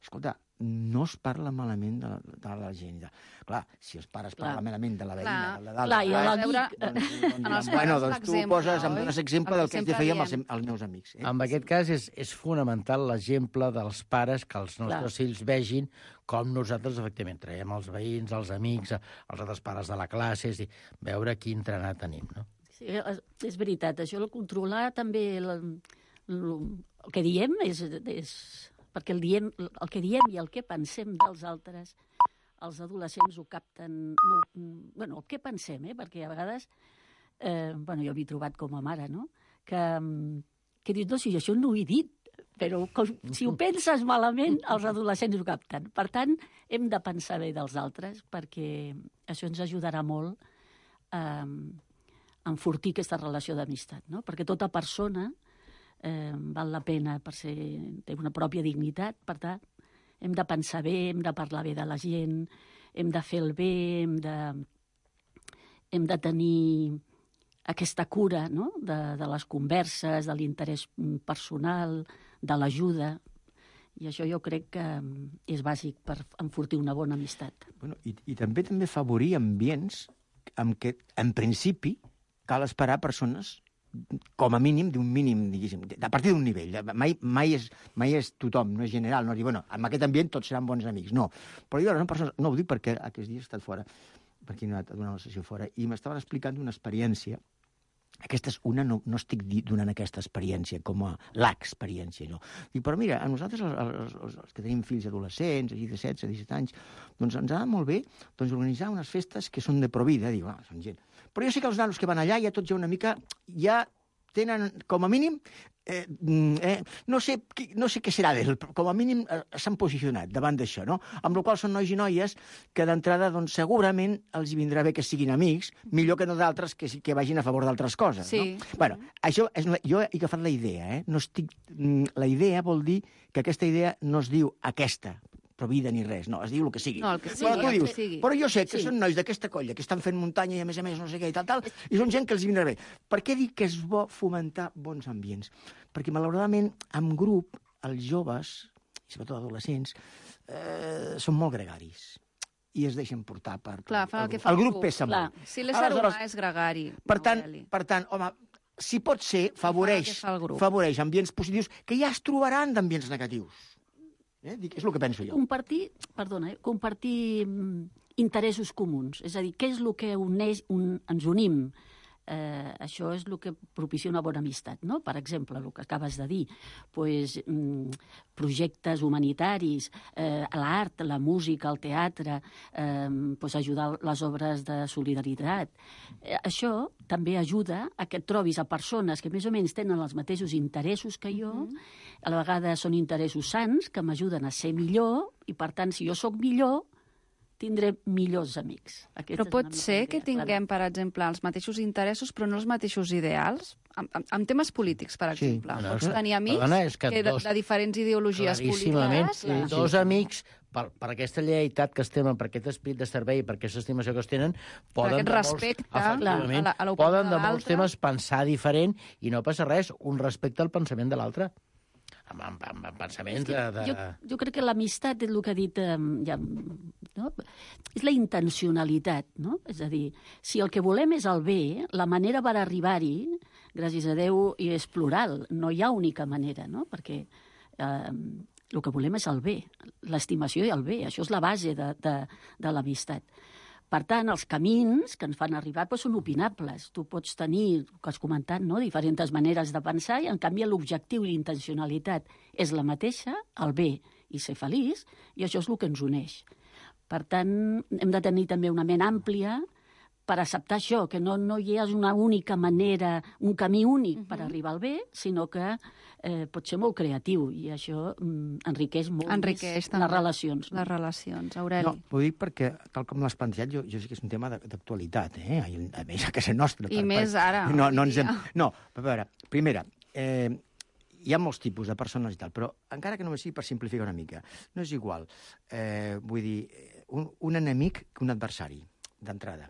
escolta, no es parla malament de la, de la gent. Clar, si els pares clar. parlen malament de la veïna, clar. de la dalt... Clar, i a l'amic... Doncs, doncs, doncs, bueno, doncs tu poses, em dones exemple del que haig de fer amb els, els meus amics. Eh? En aquest cas és, és fonamental l'exemple dels pares que els nostres clar. fills vegin com nosaltres, efectivament, traiem els veïns, els amics, els altres pares de la classe, és dir, veure quin entrenat tenim, no? Sí, és veritat, això, el controlar també la, el que diem és, és perquè el, diem, el que diem i el que pensem dels altres, els adolescents ho capten, no, bueno, el que pensem, eh? Perquè a vegades, eh, bueno, jo m'he trobat com a mare, no? Que, que dius, no, si això no ho he dit, però com, si ho penses malament, els adolescents ho capten. Per tant, hem de pensar bé dels altres, perquè això ens ajudarà molt a, a enfortir aquesta relació d'amistat, no? Perquè tota persona eh, val la pena per ser, té una pròpia dignitat, per tant, hem de pensar bé, hem de parlar bé de la gent, hem de fer el bé, hem de, hem de tenir aquesta cura, no? de, de les converses, de l'interès personal, de l'ajuda. I això jo crec que és bàsic per enfortir una bona amistat. Bueno, i, i també també favorir ambients en què, en principi, cal esperar persones com a mínim d'un mínim, diguéssim, a partir d'un nivell. Mai, mai, és, mai és tothom, no és general, no dir, bueno, en aquest ambient tots seran bons amics, no. Però jo, no, persones, no ho dic perquè aquests dies he estat fora, perquè he anat a donar una sessió fora, i m'estaven explicant una experiència. Aquesta és una, no, no estic donant aquesta experiència com a l'experiència, no. Dic, però mira, a nosaltres, els, els, els que tenim fills adolescents, de setze, disset anys, doncs ens ha de molt bé doncs, organitzar unes festes que són de provida. Dic, ah, són gent. Però jo sé que els nanos que van allà ja tots ja una mica, ja tenen, com a mínim, eh, eh, no, sé, no sé què serà d'ell, però com a mínim eh, s'han posicionat davant d'això, no? Amb la qual cosa són nois i noies que d'entrada doncs, segurament els hi vindrà bé que siguin amics, millor que no d'altres que, que vagin a favor d'altres coses, sí. no? Bueno, això és, jo he agafat la idea, eh? No estic, la idea vol dir que aquesta idea no es diu aquesta, provida ni res, no, es diu el que sigui. No, el que sigui, però, el dius, que sigui. Però jo sé que Sí. són nois d'aquesta colla que estan fent muntanya i a més a més no sé què i tal, tal, i són gent que els hi vindrà bé. Per què dic que és bo fomentar bons ambients? Perquè, malauradament, en grup, els joves, i sobretot adolescents, eh, són molt gregaris i es deixen portar per... Clar, fan el que fa el el grup grup. pesa Clar. molt. Si l'ésser humà és gregari, Per tant, Aureli. per tant, home, si pot ser, favoreix, Fa el que fa el grup. favoreix ambients positius que ja es trobaran d'ambients negatius. Eh? Dic, és el que penso jo. Compartir, perdona, eh, compartir mm, interessos comuns. És a dir, què és el que uneix, un, ens unim? Eh, això és el que propicia una bona amistat, no? Per exemple, el que acabes de dir, pues, mm, projectes humanitaris, eh, l'art, la música, el teatre, eh, pues, ajudar les obres de solidaritat. Eh, això també ajuda a que et trobis a persones que més o menys tenen els mateixos interessos que jo, mm-hmm. a la vegada són interessos sants que m'ajuden a ser millor i, per tant, si jo sóc millor, tindré millors amics. Aquesta Però és pot una ser mica que la idea, tinguem, per exemple, els mateixos interessos, però no els mateixos ideals? En, en, en temes polítics, per Sí. exemple. No, Pots no, tenir amics perdona, és que que de, dos- de diferents ideologies Claríssimament, polítiques. sí, dos amics, per, per aquesta lleialtat que estem, per aquest esprit de servei, per aquesta estimació que es tenen, poden aquest de molts, respecte efectivament, a la- a l'opinió poden de de molts l'altre. temes pensar diferent i no passa res, un respecte al pensament de l'altre. Amb, amb, amb, amb pensaments de... de... Jo, jo crec que l'amistat és el que ha dit... Eh, ja, no? És la intencionalitat, no? És a dir, si el que volem és el bé, la manera per arribar-hi, gràcies a Déu, i és plural, no hi ha única manera, no? Perquè eh, el que volem és el bé, l'estimació i el bé, això és la base de, de, de l'amistat. Per tant, els camins que ens fan arribar doncs, són opinables. Tu pots tenir, el que has comentat, no? diferents maneres de pensar i, en canvi, l'objectiu i l'intencionalitat és la mateixa, el bé i ser feliç, i això és el que ens uneix. Per tant, hem de tenir també una ment àmplia per acceptar això, que no, no hi ha una única manera, un camí únic uh-huh. per arribar al bé, sinó que eh, pot ser molt creatiu, i això mm, enriqueix molt Enriqueix més també les relacions. Les relacions, Aureli. No, ho dic perquè, tal com l'has plantejat, jo, jo sé que és un tema de- d'actualitat, eh? I, a més, a casa nostra. I més ara, No, no, avui ens hem... dia. no, a veure, primera, eh, hi ha molts tipus de persones i tal, però encara que només sigui per simplificar una mica, no és igual, eh, vull dir, un, un enemic que un adversari, d'entrada.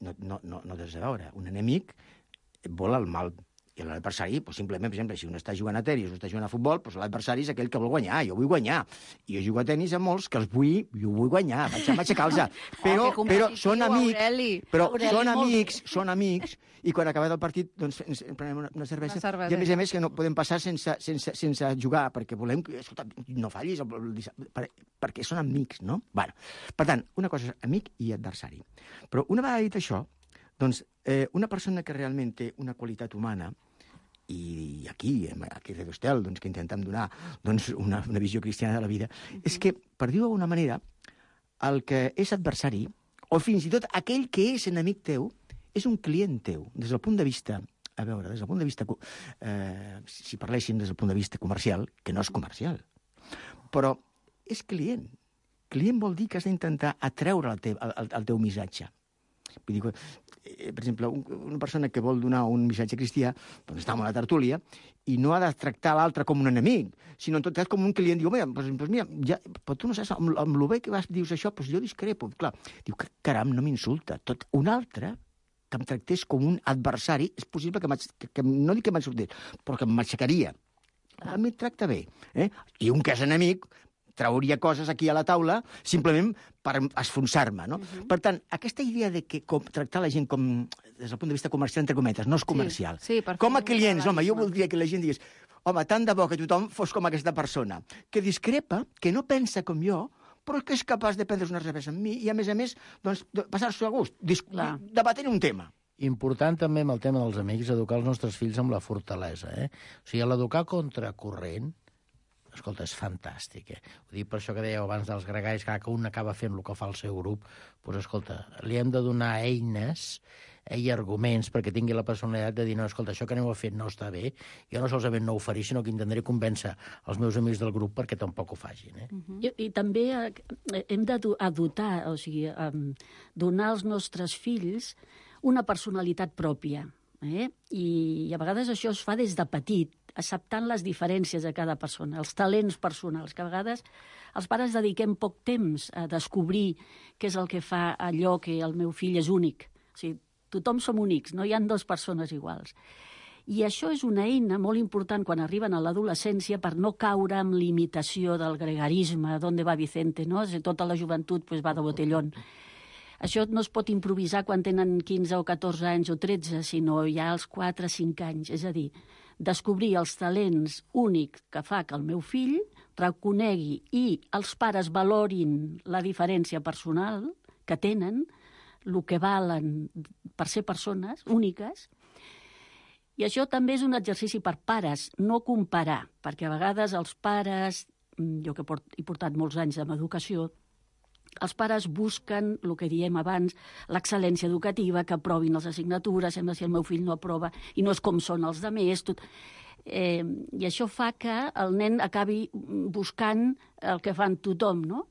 No, no, no, no tens a veure. Un enemic vol el mal. I l'adversari, doncs, simplement, per exemple, si un està jugant a tenis o està jugant a futbol, doncs l'adversari és aquell que vol guanyar. Jo vull guanyar. I jo jugo a tenis amb molts que els vull, jo vull guanyar, vaig a aixecar-los. Però, que però competitiu, són amics, Aureli. però Aureli, són molt amics, són amics, i quan acabat el partit, doncs, ens prenem una, una cervesa. Una cervesa. I a més a més que no podem passar sense, sense, sense jugar, perquè volem que, escolta, no fallis, el, el, el, per, perquè són amics, no? Bueno, per tant, una cosa és amic i adversari. Però una vegada dit això, doncs, eh, una persona que realment té una qualitat humana i aquí, aquí a Radio Estel, doncs, que intentem donar doncs, una, una visió cristiana de la vida, uh-huh. és que, per dir-ho d'alguna manera, el que és adversari, o fins i tot aquell que és enemic teu, és un client teu, des del punt de vista, a veure, des del punt de vista, eh, si parléssim des del punt de vista comercial, que no és comercial, però és client. Client vol dir que has d'intentar atreure el teu, el, el teu missatge. Vull dir, eh, per exemple, un, una persona que vol donar un missatge cristià, doncs està en una tertúlia, i no ha de tractar l'altre com un enemic, sinó en tot cas com un client. Diu, mira, doncs, doncs mira ja, però tu no saps, amb, amb el bé que vas, dius això, doncs jo discrepo. Clar, diu, caram, no m'insulta. Tot un altre que em tractés com un adversari, és possible que, que, que no dic que m'insultés, però que m'aixecaria. A mi et tracta bé. Eh? I un que és enemic trauria coses aquí a la taula simplement per esfonsar-me, no? Uh-huh. Per tant, aquesta idea de que com, tractar la gent com, des del punt de vista comercial, entre cometes, no és comercial. Sí, sí, com a clients, home, jo voldria que la gent digués, home, tant de bo que tothom fos com aquesta persona, que discrepa, que no pensa com jo, però que és capaç de prendre una cervesa amb mi i, a més a més, doncs, passar-s'ho a gust, debatent un tema. Important també amb el tema dels amics, educar els nostres fills amb la fortalesa. Eh? O sigui, l'educar contracorrent, escolta, és fantàstic. Eh? Ho dic per això que dèieu abans dels gregalls, que un acaba fent el que fa el seu grup, doncs, escolta, li hem de donar eines eh, i arguments perquè tingui la personalitat de dir, no, escolta, això que aneu a fer no està bé, jo no solament no ho faré, sinó que intentaré convèncer els meus amics del grup perquè tampoc ho facin. Eh? Uh-huh. I, I també eh, hem de dotar, o sigui, um, donar als nostres fills una personalitat pròpia. Eh? I, I a vegades això es fa des de petit, acceptant les diferències de cada persona, els talents personals, que a vegades els pares dediquem poc temps a descobrir què és el que fa allò que el meu fill és únic. O sigui, tothom som únics, no hi ha dues persones iguals. I això és una eina molt important quan arriben a l'adolescència per no caure en l'imitació del gregarisme, d'on va Vicente, no? Tota la joventut pues, va de botellón. Això no es pot improvisar quan tenen quinze o catorze anys o tretze, sinó ja als quatre o cinc anys. És a dir, descobrir els talents únics que fa que el meu fill reconegui i els pares valorin la diferència personal que tenen, el que valen per ser persones úniques. I això també és un exercici per pares, no comparar, perquè a vegades els pares, jo que he portat molts anys amb educació, els pares busquen, el que diem abans, l'excel·lència educativa, que aprovin les assignatures, sembla si el meu fill no aprova, i no és com són els altres, tot. Eh, I això fa que el nen acabi buscant el que fan tothom, no?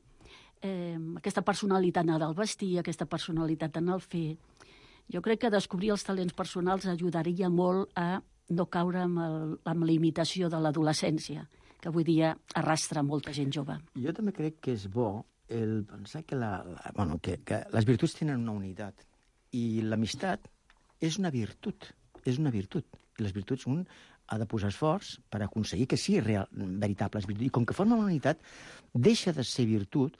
Eh, aquesta personalitat en el vestir, aquesta personalitat en el fer. Jo crec que descobrir els talents personals ajudaria molt a no caure amb, el, amb la imitació de l'adolescència, que avui dia arrastra molta gent jove. Jo també crec que és bo el pensar que, la, la, bueno, que, que les virtuts tenen una unitat i l'amistat és una virtut, és una virtut. I les virtuts un ha de posar esforç per aconseguir que sigui real, veritables virtuts. I com que forma una unitat, deixa de ser virtut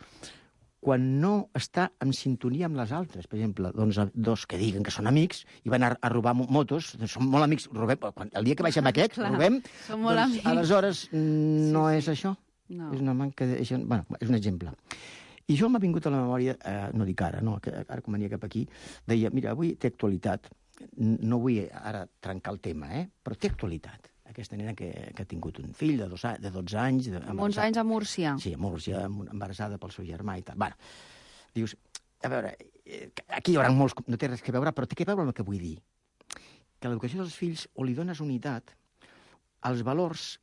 quan no està en sintonia amb les altres. Per exemple, doncs, dos que diguen que són amics i van a, a robar motos, doncs són molt amics, robem, quan, el dia que baixem aquest, Clar, robem, són molt doncs amics. aleshores no Sí, és sí. això. No. És una manca de... Bueno, és un exemple. I jo m'ha vingut a la memòria, eh, no dic ara, no, que ara com venia cap aquí, deia, mira, avui té actualitat, no vull ara trencar el tema, eh, però té actualitat. Aquesta nena que, que ha tingut un fill de, dos, de dotze anys... De, Amb uns anys a Múrcia. Sí, a Múrcia, embarassada pel seu germà i tal. Bueno, dius, a veure, aquí hi haurà molts... No té res que veure, però té que veure amb el que vull dir. Que a l'educació dels fills o li dones unitat, els valors,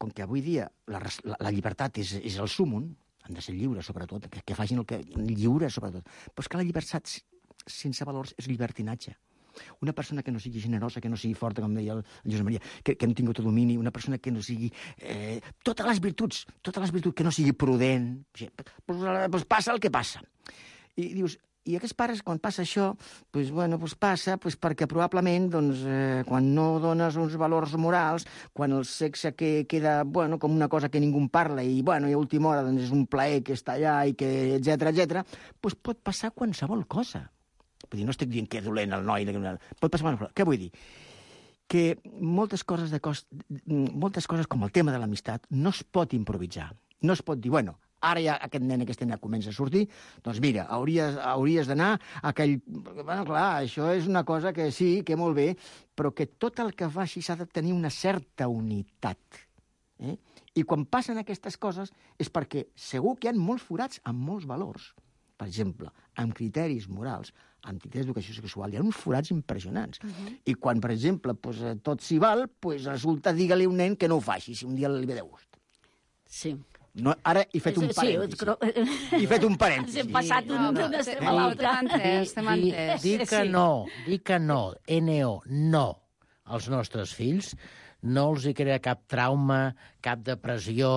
com que avui dia la, la, la llibertat és, és el súmum, han de ser lliures, sobretot, que, que facin el que... lliures, sobretot. Però és que la llibertat sense valors és llibertinatge. Una persona que no sigui generosa, que no sigui forta, com deia el Josep Maria, que, que no tingui autodomini, una persona que no sigui... Eh, totes les virtuts, totes les virtuts, que no sigui prudent, o sigui, pues, pues passa el que passa. I dius, i aquests pares, quan passa això, pues, bueno, pues passa pues, perquè probablement doncs, eh, quan no dones uns valors morals, quan el sexe que queda bueno, com una cosa que ningú en parla i, bueno, i a última hora doncs, és un plaer que està allà, i que etcètera etcètera, pues pot passar qualsevol cosa. Vull dir, no estic dient que és dolent el noi, pot passar qualsevol cosa. Què vull dir? Que moltes coses, de cos... moltes coses com el tema de l'amistat no es pot improvisar. No es pot dir, bueno, ara ja aquest nen, aquesta nena comença a sortir, doncs mira, hauries, hauries d'anar a aquell... Bueno, clar, això és una cosa que sí, que molt bé, però que tot el que faci s'ha de tenir una certa unitat. Eh? I quan passen aquestes coses és perquè segur que hi ha molts forats amb molts valors. Per exemple, amb criteris morals, amb criteris d'educació sexual, hi ha uns forats impressionants. Uh-huh. I quan, per exemple, pues, tot s'hi val, pues, resulta, digue-li a un nen que no ho faci, si un dia li ve de gust. Sí. No, ara he fet un parèntesi. Sí, he fet un parèntesi. Hem passat un no, no, estem a l'altre. Estem entès. Dir que no, dir que no, N O, no, als nostres fills, no els hi crea cap trauma, cap depressió,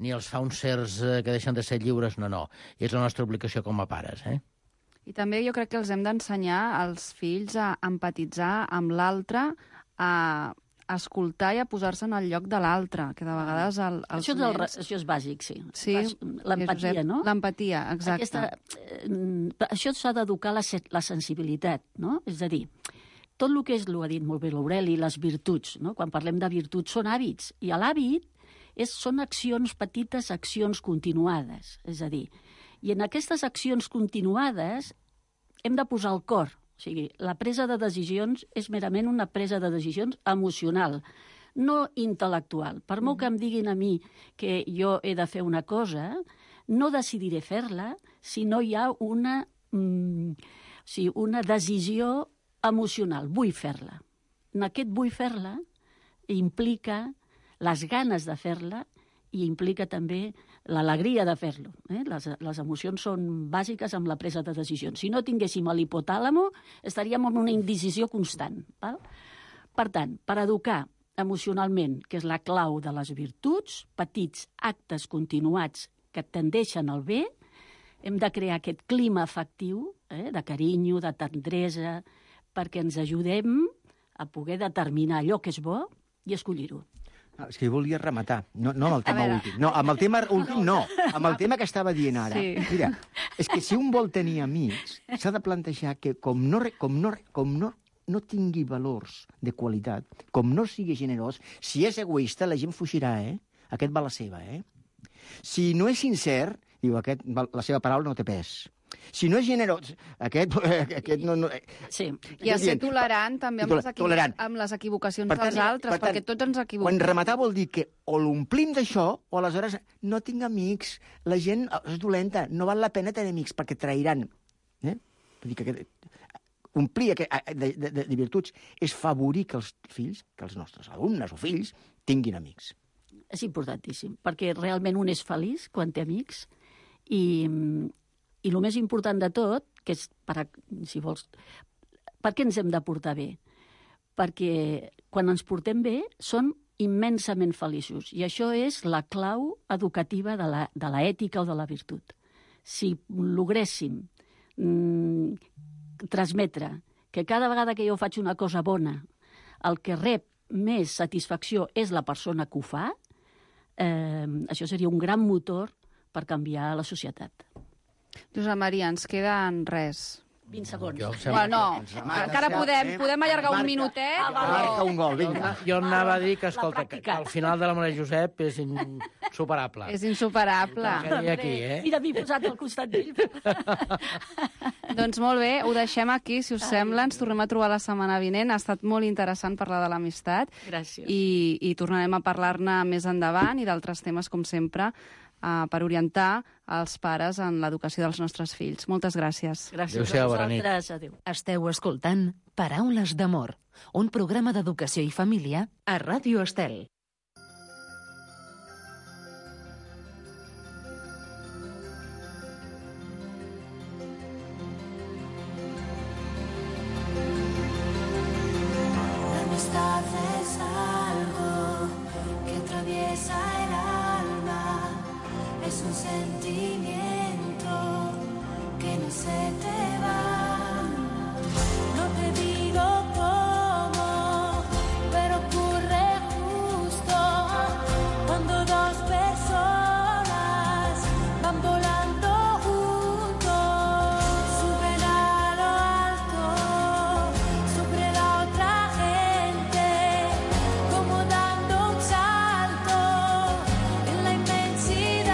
ni els fa uns certs que deixen de ser lliures, no, no. És la nostra obligació com a pares, eh? I també jo crec que els hem d'ensenyar als fills a empatitzar amb l'altre, a escoltar i a posar-se en el lloc de l'altre, que de vegades el, els això, és el, nens... això és bàsic, sí. Sí, l'empatia, no? L'empatia, exacte. Aquesta, eh, això s'ha d'educar la, la sensibilitat, no? És a dir, tot el que és, ho ha dit molt bé l'Aureli, les virtuts, no? Quan parlem de virtuts són hàbits, i l'hàbit és, són accions, petites accions continuades, és a dir, i en aquestes accions continuades hem de posar el cor. O sigui, la presa de decisions és merament una presa de decisions emocional, no intel·lectual. Per molt que em diguin a mi que jo he de fer una cosa, no decidiré fer-la si no hi ha una, mm, o sigui, una decisió emocional. Vull fer-la. En aquest vull fer-la implica les ganes de fer-la i implica també l'alegria de fer-lo. Eh? Les, les emocions són bàsiques amb la presa de decisions. Si no tinguéssim l'hipotàlamo, estaríem en una indecisió constant. Val? Per tant, per educar emocionalment, que és la clau de les virtuts, petits actes continuats que tendeixen al bé, hem de crear aquest clima afectiu, eh? de carinyo, de tendresa, perquè ens ajudem a poder determinar allò que és bo i escollir-ho. No, és que jo volia rematar, no, no amb el tema últim. No, amb el tema últim no, amb el tema que estava dient ara. Sí. Mira, és que si un vol tenir amics, s'ha de plantejar que com no, com no, com no, no tingui valors de qualitat, com no sigui generós, si és egoista, la gent fugirà, eh? Aquest va la seva, eh? Si no és sincer, diu, aquest, la seva paraula no té pes. Si no és generós, aquest, aquest no... no sí. I a ser tolerant també amb les, tolerant. amb les equivocacions per tant, dels altres, per tant, perquè tots ens equivoquem. Quan rematar vol dir que o l'omplim d'això o aleshores no tinc amics, la gent és dolenta, no val la pena tenir amics perquè trairan. Eh? Vull dir que omplir de, de, de, de virtuts és favorir que els fills, que els nostres alumnes o fills, tinguin amics. És importantíssim, perquè realment un és feliç quan té amics i... I el més important de tot, que és, per, si vols, per què ens hem de portar bé? Perquè quan ens portem bé som immensament feliços. I això és la clau educativa de la, de la ètica o de la virtut. Si logréssim mm, transmetre que cada vegada que jo faig una cosa bona, el que rep més satisfacció és la persona que ho fa, eh, això seria un gran motor per canviar la societat. Josep Maria, ens queden res. vint segons. Bueno, no, encara podem, podem allargar un minutet. Marca un gol, vinga. Jo anava a dir que, escolta, que al final de la Maria Josep és insuperable. És insuperable. Aquí, eh? Mira, m'he posat al costat d'ell. Doncs molt bé, ho deixem aquí, si us sembla. Ens tornem a trobar la setmana vinent. Ha estat molt interessant parlar de l'amistat. Gràcies. I, i tornarem a parlar-ne més endavant i d'altres temes, com sempre, Uh, per orientar els pares en l'educació dels nostres fills. Moltes gràcies. Gràcies Adéu-siau, a vosaltres. Adéu. Esteu escoltant Paraules d'amor, un programa d'educació i família a Ràdio Estel. La amistad es algo que atraviesa el alma. Es un sentimiento que no se te va. No te digo cómo, pero ocurre justo cuando dos personas van volando juntos. Suben a lo alto sobre la otra gente, como dando un salto en la inmensidad.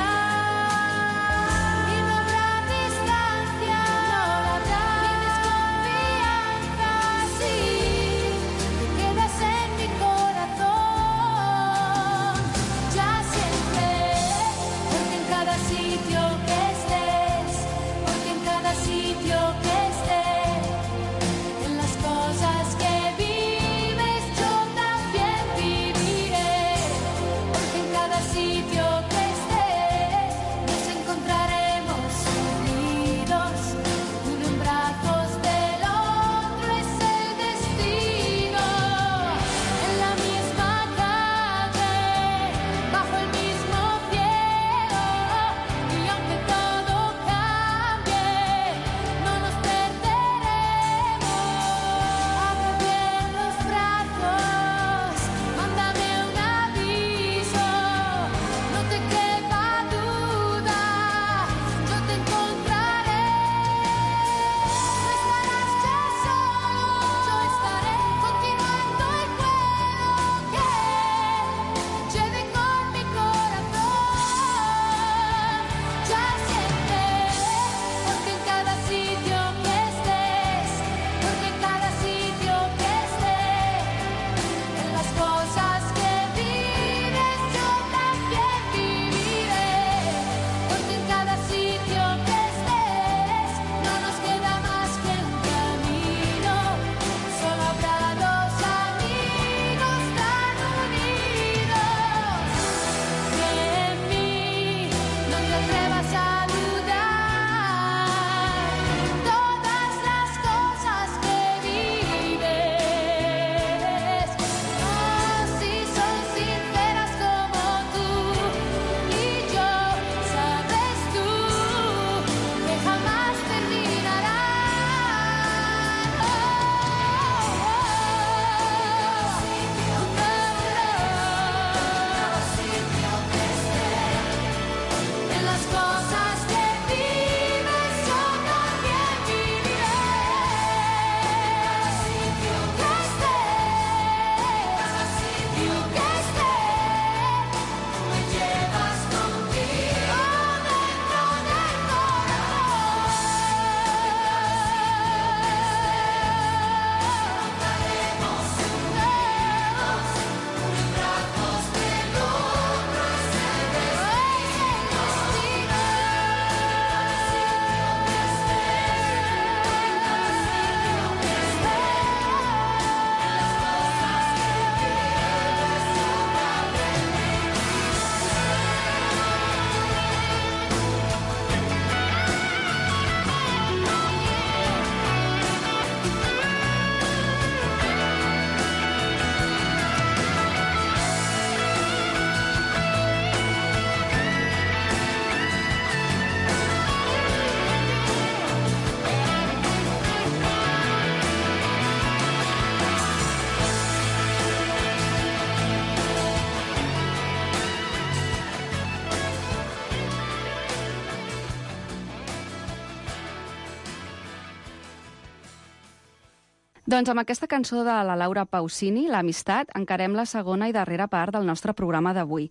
Doncs amb aquesta cançó de la Laura Pausini, l'amistat, encarem la segona i darrera part del nostre programa d'avui.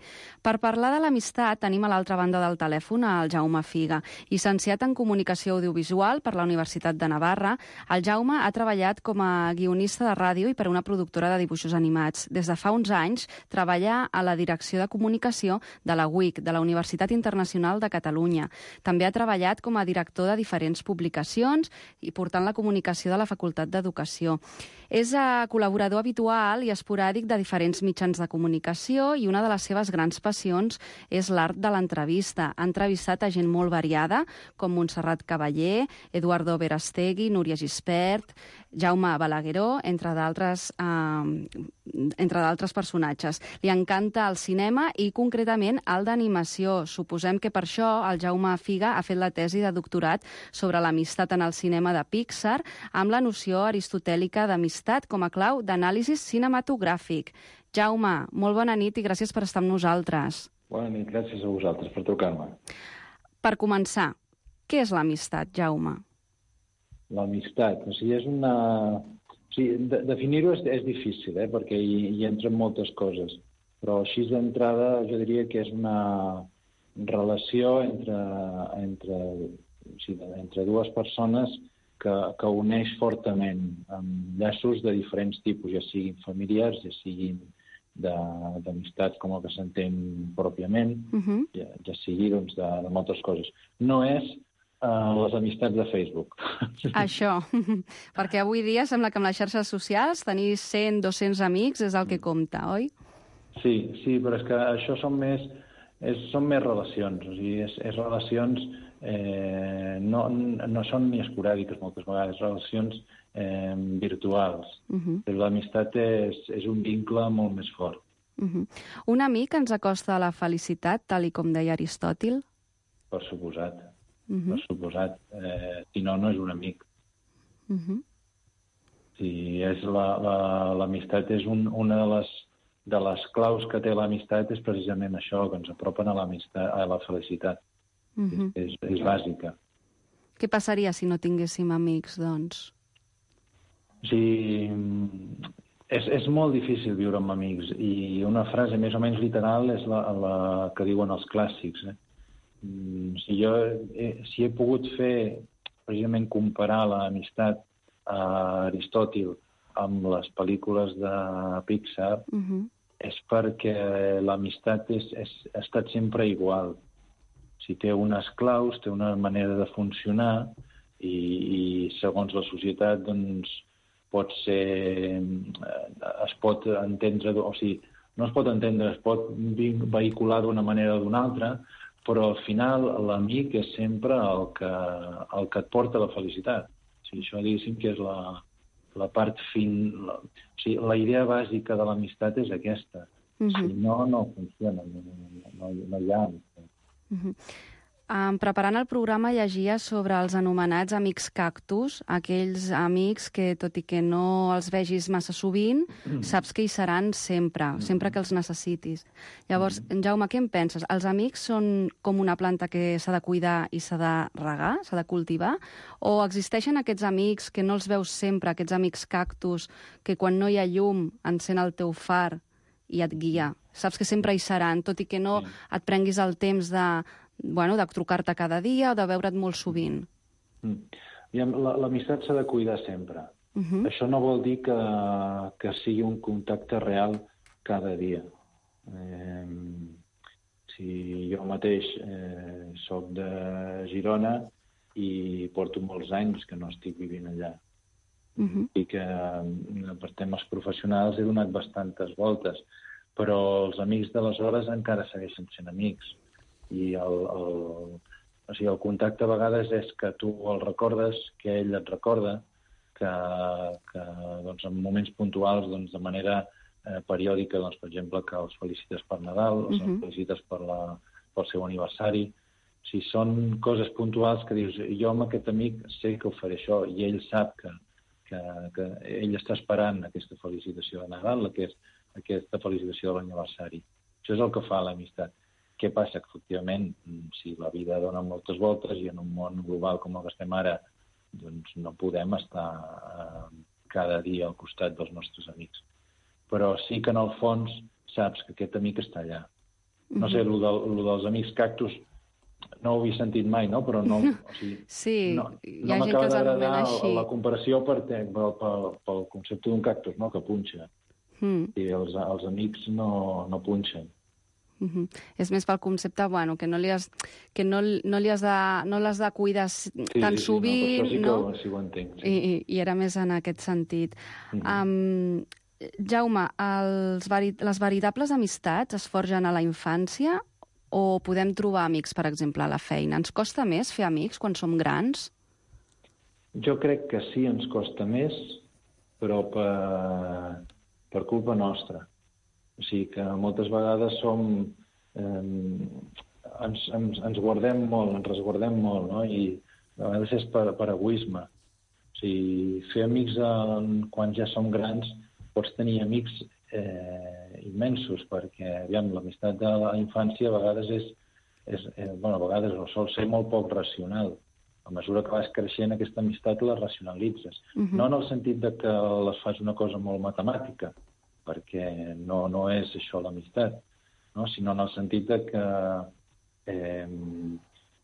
Per parlar de l'amistat tenim a l'altra banda del telèfon el Jaume Figa. Llicenciat en Comunicació Audiovisual per la Universitat de Navarra, el Jaume ha treballat com a guionista de ràdio i per una productora de dibuixos animats. Des de fa uns anys treballa a la Direcció de Comunicació de la U I C, de la Universitat Internacional de Catalunya. També ha treballat com a director de diferents publicacions i portant la comunicació de la Facultat d'Educació. És col·laborador habitual i esporàdic de diferents mitjans de comunicació i una de les seves grans passions és l'art de l'entrevista. Ha entrevistat a gent molt variada, com Montserrat Cavaller, Eduardo Verastegui, Núria Gispert, Jaume Balagueró, entre d'altres eh, entre d'altres personatges. Li encanta el cinema i, concretament, el d'animació. Suposem que per això el Jaume Figa ha fet la tesi de doctorat sobre l'amistat en el cinema de Pixar amb la noció aristotèlica d'amistat com a clau d'anàlisi cinematogràfic. Jaume, molt bona nit i gràcies per estar amb nosaltres. Bona nit, gràcies a vosaltres per trucar-me. Per començar, què és l'amistat, Jaume? L'amistat, o sigui, és una... O sigui, de, definir-ho és, és difícil, eh? Perquè hi, hi entren moltes coses, però així d'entrada jo diria que és una relació entre, entre, o sigui, entre dues persones que, que uneix fortament amb llaços de diferents tipus, ja siguin familiars, ja siguin d'amistat com el que s'entén pròpiament, uh-huh. ja, ja sigui doncs, de, de moltes coses. No és Uh, les amistats de Facebook. Això, perquè avui dia sembla que amb les xarxes socials tenir cent, dos-cents amics és el que compta, oi? Sí, sí, però és que això són més, és, són més relacions, o sigui, és, és relacions, eh, no, no són ni esporàdiques moltes vegades, relacions eh, virtuals. Uh-huh. L'amistat és, és un vincle molt més fort. Uh-huh. Un amic ens acosta a la felicitat, tal i com deia Aristòtil? Per suposat. Uh-huh. Per suposat. Eh, si no, no és un amic. Uh-huh. Si és l'amistat és un, una de les, de les claus que té l'amistat és precisament això, que ens apropen a l'amistat, a la felicitat. Uh-huh. és, és, és bàsica. Què passaria si no tinguéssim amics, doncs? O sigui, és, és molt difícil viure amb amics i una frase més o menys literal és la, la que diuen els clàssics, eh? Si jo he, si he pogut fer, precisament comparar l'amistat a Aristòtil amb les pel·lícules de Pixar, uh-huh. és perquè l'amistat és, és, ha estat sempre igual. Si té unes claus, té una manera de funcionar i, i segons la societat doncs, pot ser, es pot entendre, o sigui, no es pot entendre, es pot vehicular d'una manera o d'una altra, però al final l'amic és sempre el que, el que et porta la felicitat. O sigui, això diguéssim que és la, la part fin... La, o sigui, la idea bàsica de l'amistat és aquesta. Uh-huh. Si no, no funciona, no, no, no hi ha amistat. Uh-huh. Um, preparant el programa llegia sobre els anomenats amics cactus, aquells amics que, tot i que no els vegis massa sovint, mm. saps que hi seran sempre, mm. sempre que els necessitis. Llavors, mm. Jaume, què en penses? Els amics són com una planta que s'ha de cuidar i s'ha de regar, s'ha de cultivar? O existeixen aquests amics que no els veus sempre, aquests amics cactus, que quan no hi ha llum encén el teu far i et guia? Saps que sempre hi seran, tot i que no sí. et prenguis el temps de... bueno, de trucar-te cada dia o de veure't molt sovint. Mm. L'amistat s'ha de cuidar sempre. Uh-huh. Això no vol dir que, que sigui un contacte real cada dia. Eh, si jo mateix eh, soc de Girona i porto molts anys que no estic vivint allà. Uh-huh. I que per temes professionals he donat bastantes voltes, però els amics d'aleshores encara segueixen sent amics. I el, el, o sigui, el contacte a vegades és que tu el recordes, que ell et recorda, que, que doncs, en moments puntuals, doncs, de manera eh, periòdica, doncs, per exemple, que els felicites per Nadal, uh-huh. els felicites per la, pel seu aniversari. O sigui, són coses puntuals que dius, jo amb aquest amic sé que ho faré això, i ell sap que, que, que ell està esperant aquesta felicitació de Nadal, aquest, aquesta felicitació de l'aniversari. Això és el que fa l'amistat. Què passa? Que, efectivament, si la vida dona moltes voltes i en un món global com el que estem ara, doncs no podem estar eh, cada dia al costat dels nostres amics. Però sí que en el fons saps que aquest amic està allà. No sé, el, del, el dels amics cactus no ho havia sentit mai, no? Però no, o sigui, sí, no, hi no ha gent que els anomena m'acaba així. d'agradar la comparació per, pel, pel, pel concepte d'un cactus, no? Que punxa. Mm. I els, els amics no, no punxen. Mm -hmm. És més pel concepte, bueno, que no li has, que no, no li has de, no l'has de cuidar sí, tan sí, sí, sovint, no? Això sí que no? ho, sí ho entenc. Sí. I, i, I era més en aquest sentit. Mm -hmm. um, Jaume, els veri, les veritables amistats es forgen a la infància o podem trobar amics, per exemple, a la feina? Ens costa més fer amics quan som grans? Jo crec que sí, ens costa més, però per, per culpa nostra. O sigui que moltes vegades som... Eh, ens, ens, ens guardem molt, ens resguardem molt, no? I a vegades és per, per egoisme. O sigui, fer amics en, quan ja som grans, pots tenir amics eh, immensos, perquè, aviam, l'amistat de la infància a vegades és, és eh, bueno, a vegades no sol ser molt poc racional. A mesura que vas creixent, aquesta amistat la racionalitzes. Uh-huh. No en el sentit de que les fas una cosa molt matemàtica, perquè no, no és això l'amistat, no? Sinó en el sentit de que, eh,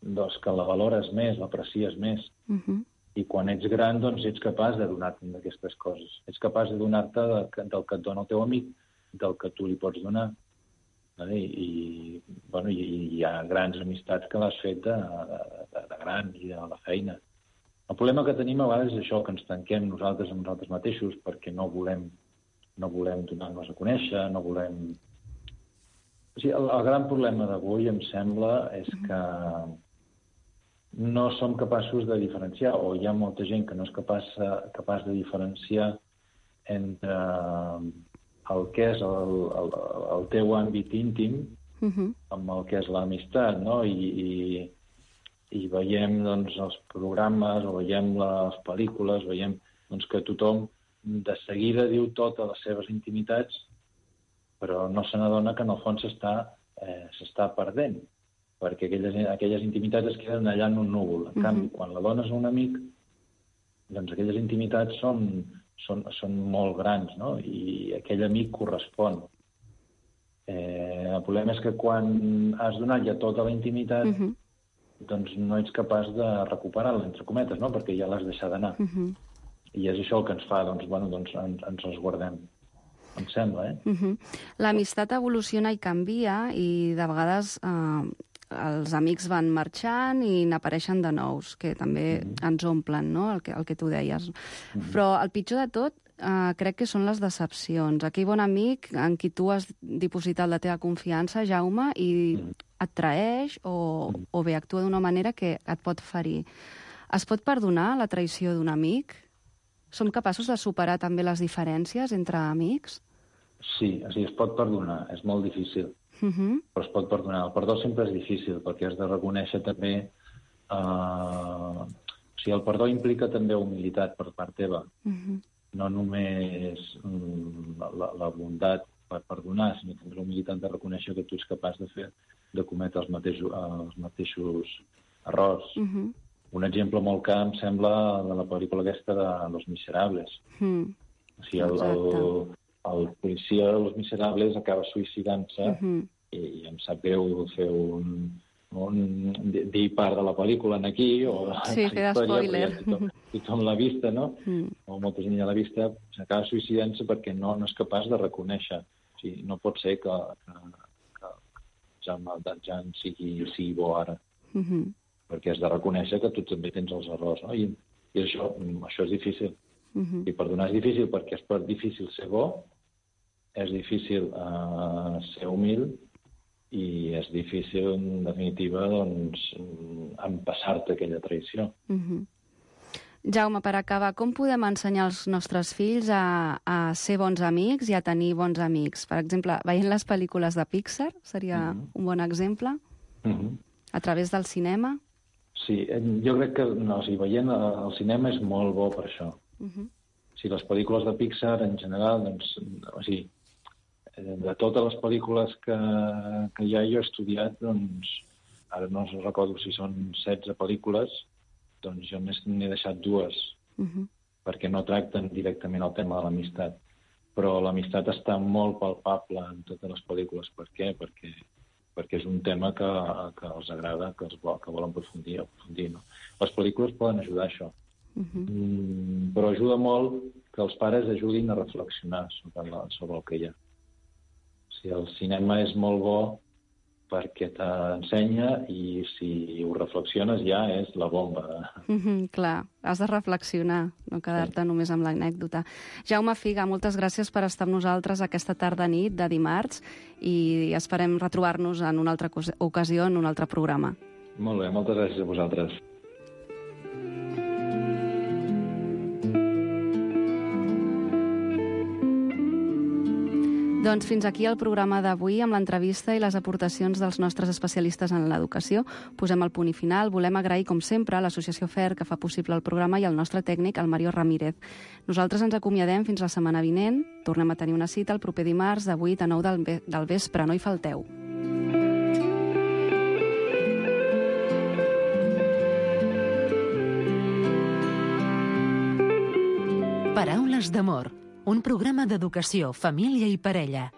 doncs que la valores més, l'aprecies més. Uh-huh. I quan ets gran, doncs, ets capaç de donar-te d'aquestes coses. Ets capaç de donar-te de, del que et dona el teu amic, del que tu li pots donar. Vale? I, bueno, i, i hi ha grans amistats que l'has fet de, de, de gran i de la feina. El problema que tenim a vegades és això, que ens tanquem nosaltres amb nosaltres mateixos perquè no volem, no volem donar-nos a conèixer, no volem... O sigui, el, el gran problema d'avui, em sembla, és que no som capaços de diferenciar, o hi ha molta gent que no és capaç, capaç de diferenciar entre el que és el, el, el teu àmbit íntim uh-huh. amb el que és l'amistat, no? I, i, i veiem doncs, els programes, o veiem les pel·lícules, veiem doncs, que tothom de seguida diu totes les seves intimitats, però no se n'adona que en el fons s'està eh, s'està perdent, perquè aquelles, aquelles intimitats es queden allà en un núvol. En uh-huh. canvi, quan la dones a un amic, doncs aquelles intimitats són, són, són molt grans, no? I aquell amic correspon. Eh, el problema és que quan has donat ja tota la intimitat, uh-huh. doncs no ets capaç de recuperar-la, entre cometes, no? Perquè ja l'has deixat d'anar. Uh-huh. I és això el que ens fa, doncs, bueno, doncs ens, ens els guardem. Em sembla, eh? Uh-huh. L'amistat evoluciona i canvia, i de vegades eh, els amics van marxant i n'apareixen de nous, que també uh-huh. ens omplen, no?, el que, el que tu deies. Uh-huh. Però el pitjor de tot eh, crec que són les decepcions. Aquell bon amic en qui tu has dipositat la teva confiança, Jaume, i uh-huh. et traeix o, uh-huh. o bé actua d'una manera que et pot ferir. Es pot perdonar la traïció d'un amic? Som capaços de superar també les diferències entre amics? Sí, o sigui, es pot perdonar, és molt difícil, uh-huh. però es pot perdonar. El perdó sempre és difícil, perquè has de reconèixer també... Eh... O sigui, el perdó implica també humilitat per part teva. Uh-huh. No només mm, la, la bondat per perdonar, sinó també la humilitat de reconèixer que tu ets capaç de fer, de cometre els mateixos, els mateixos errors. Uh-huh. Un exemple molt clar, em sembla, de la pel·lícula aquesta de Los Miserables. Mm. O sigui, el, el, el policia de Los Miserables acaba suïcidant-se uh-huh. i, i em sap greu fer un, un dir part de la pel·lícula en aquí, o sí, fer spoiler. Tothom, tothom l'ha vista, no? Mm. O molta gent ja l'ha vista, s'acaba suïcidant-se perquè no, no és capaç de reconèixer. O sigui, no pot ser que, que, que Jaume Valjean sigui, sigui bo ara. Uh-huh. Perquè has de reconèixer que tu també tens els errors, no? I, i això, això és difícil. Uh-huh. I perdonar és difícil perquè és difícil ser bo, és difícil uh, ser humil i és difícil, en definitiva, doncs, empassar-te aquella traïció. Uh-huh. Jaume, per acabar, com podem ensenyar als nostres fills a, a ser bons amics i a tenir bons amics? Per exemple, veient les pel·lícules de Pixar seria uh-huh. un bon exemple? Uh-huh. A través del cinema? Sí, jo crec que no, o sigui, veient el cinema és molt bo per això. Uh-huh. O sigui, les pel·lícules de Pixar, en general, doncs, o sigui, de totes les pel·lícules que, que ja jo he estudiat, doncs, ara no recordo si són setze pel·lícules, doncs jo n'he deixat dues. Uh-huh. perquè no tracten directament el tema de l'amistat. Però l'amistat està molt palpable en totes les pel·lícules. Per què? Perquè, perquè és un tema que, que els agrada, que, els vol, que volen aprofundir. aprofundir no? Les pel·lícules poden ajudar a això. Uh-huh. mm, però ajuda molt que els pares ajudin a reflexionar sobre, la, sobre el que hi ha. O sigui, el cinema és molt bo perquè t'ensenya i si ho reflexiones ja és la bomba. Mm-hmm, clar, has de reflexionar, no quedar-te sí. només amb l'anècdota. Jaume Figa, moltes gràcies per estar amb nosaltres aquesta tarda-nit de dimarts i esperem retrobar-nos en una altra ocasió, en un altre programa. Molt bé, moltes gràcies a vosaltres. Doncs fins aquí el programa d'avui amb l'entrevista i les aportacions dels nostres especialistes en l'educació. Posem el punt i final. Volem agrair, com sempre, a l'Associació F E R, que fa possible el programa, i al nostre tècnic, el Mario Ramírez. Nosaltres ens acomiadem fins la setmana vinent. Tornem a tenir una cita el proper dimarts de vuit a nou del, ve- del vespre. No hi falteu. Paraules d'amor, un programa d'educació, família i parella.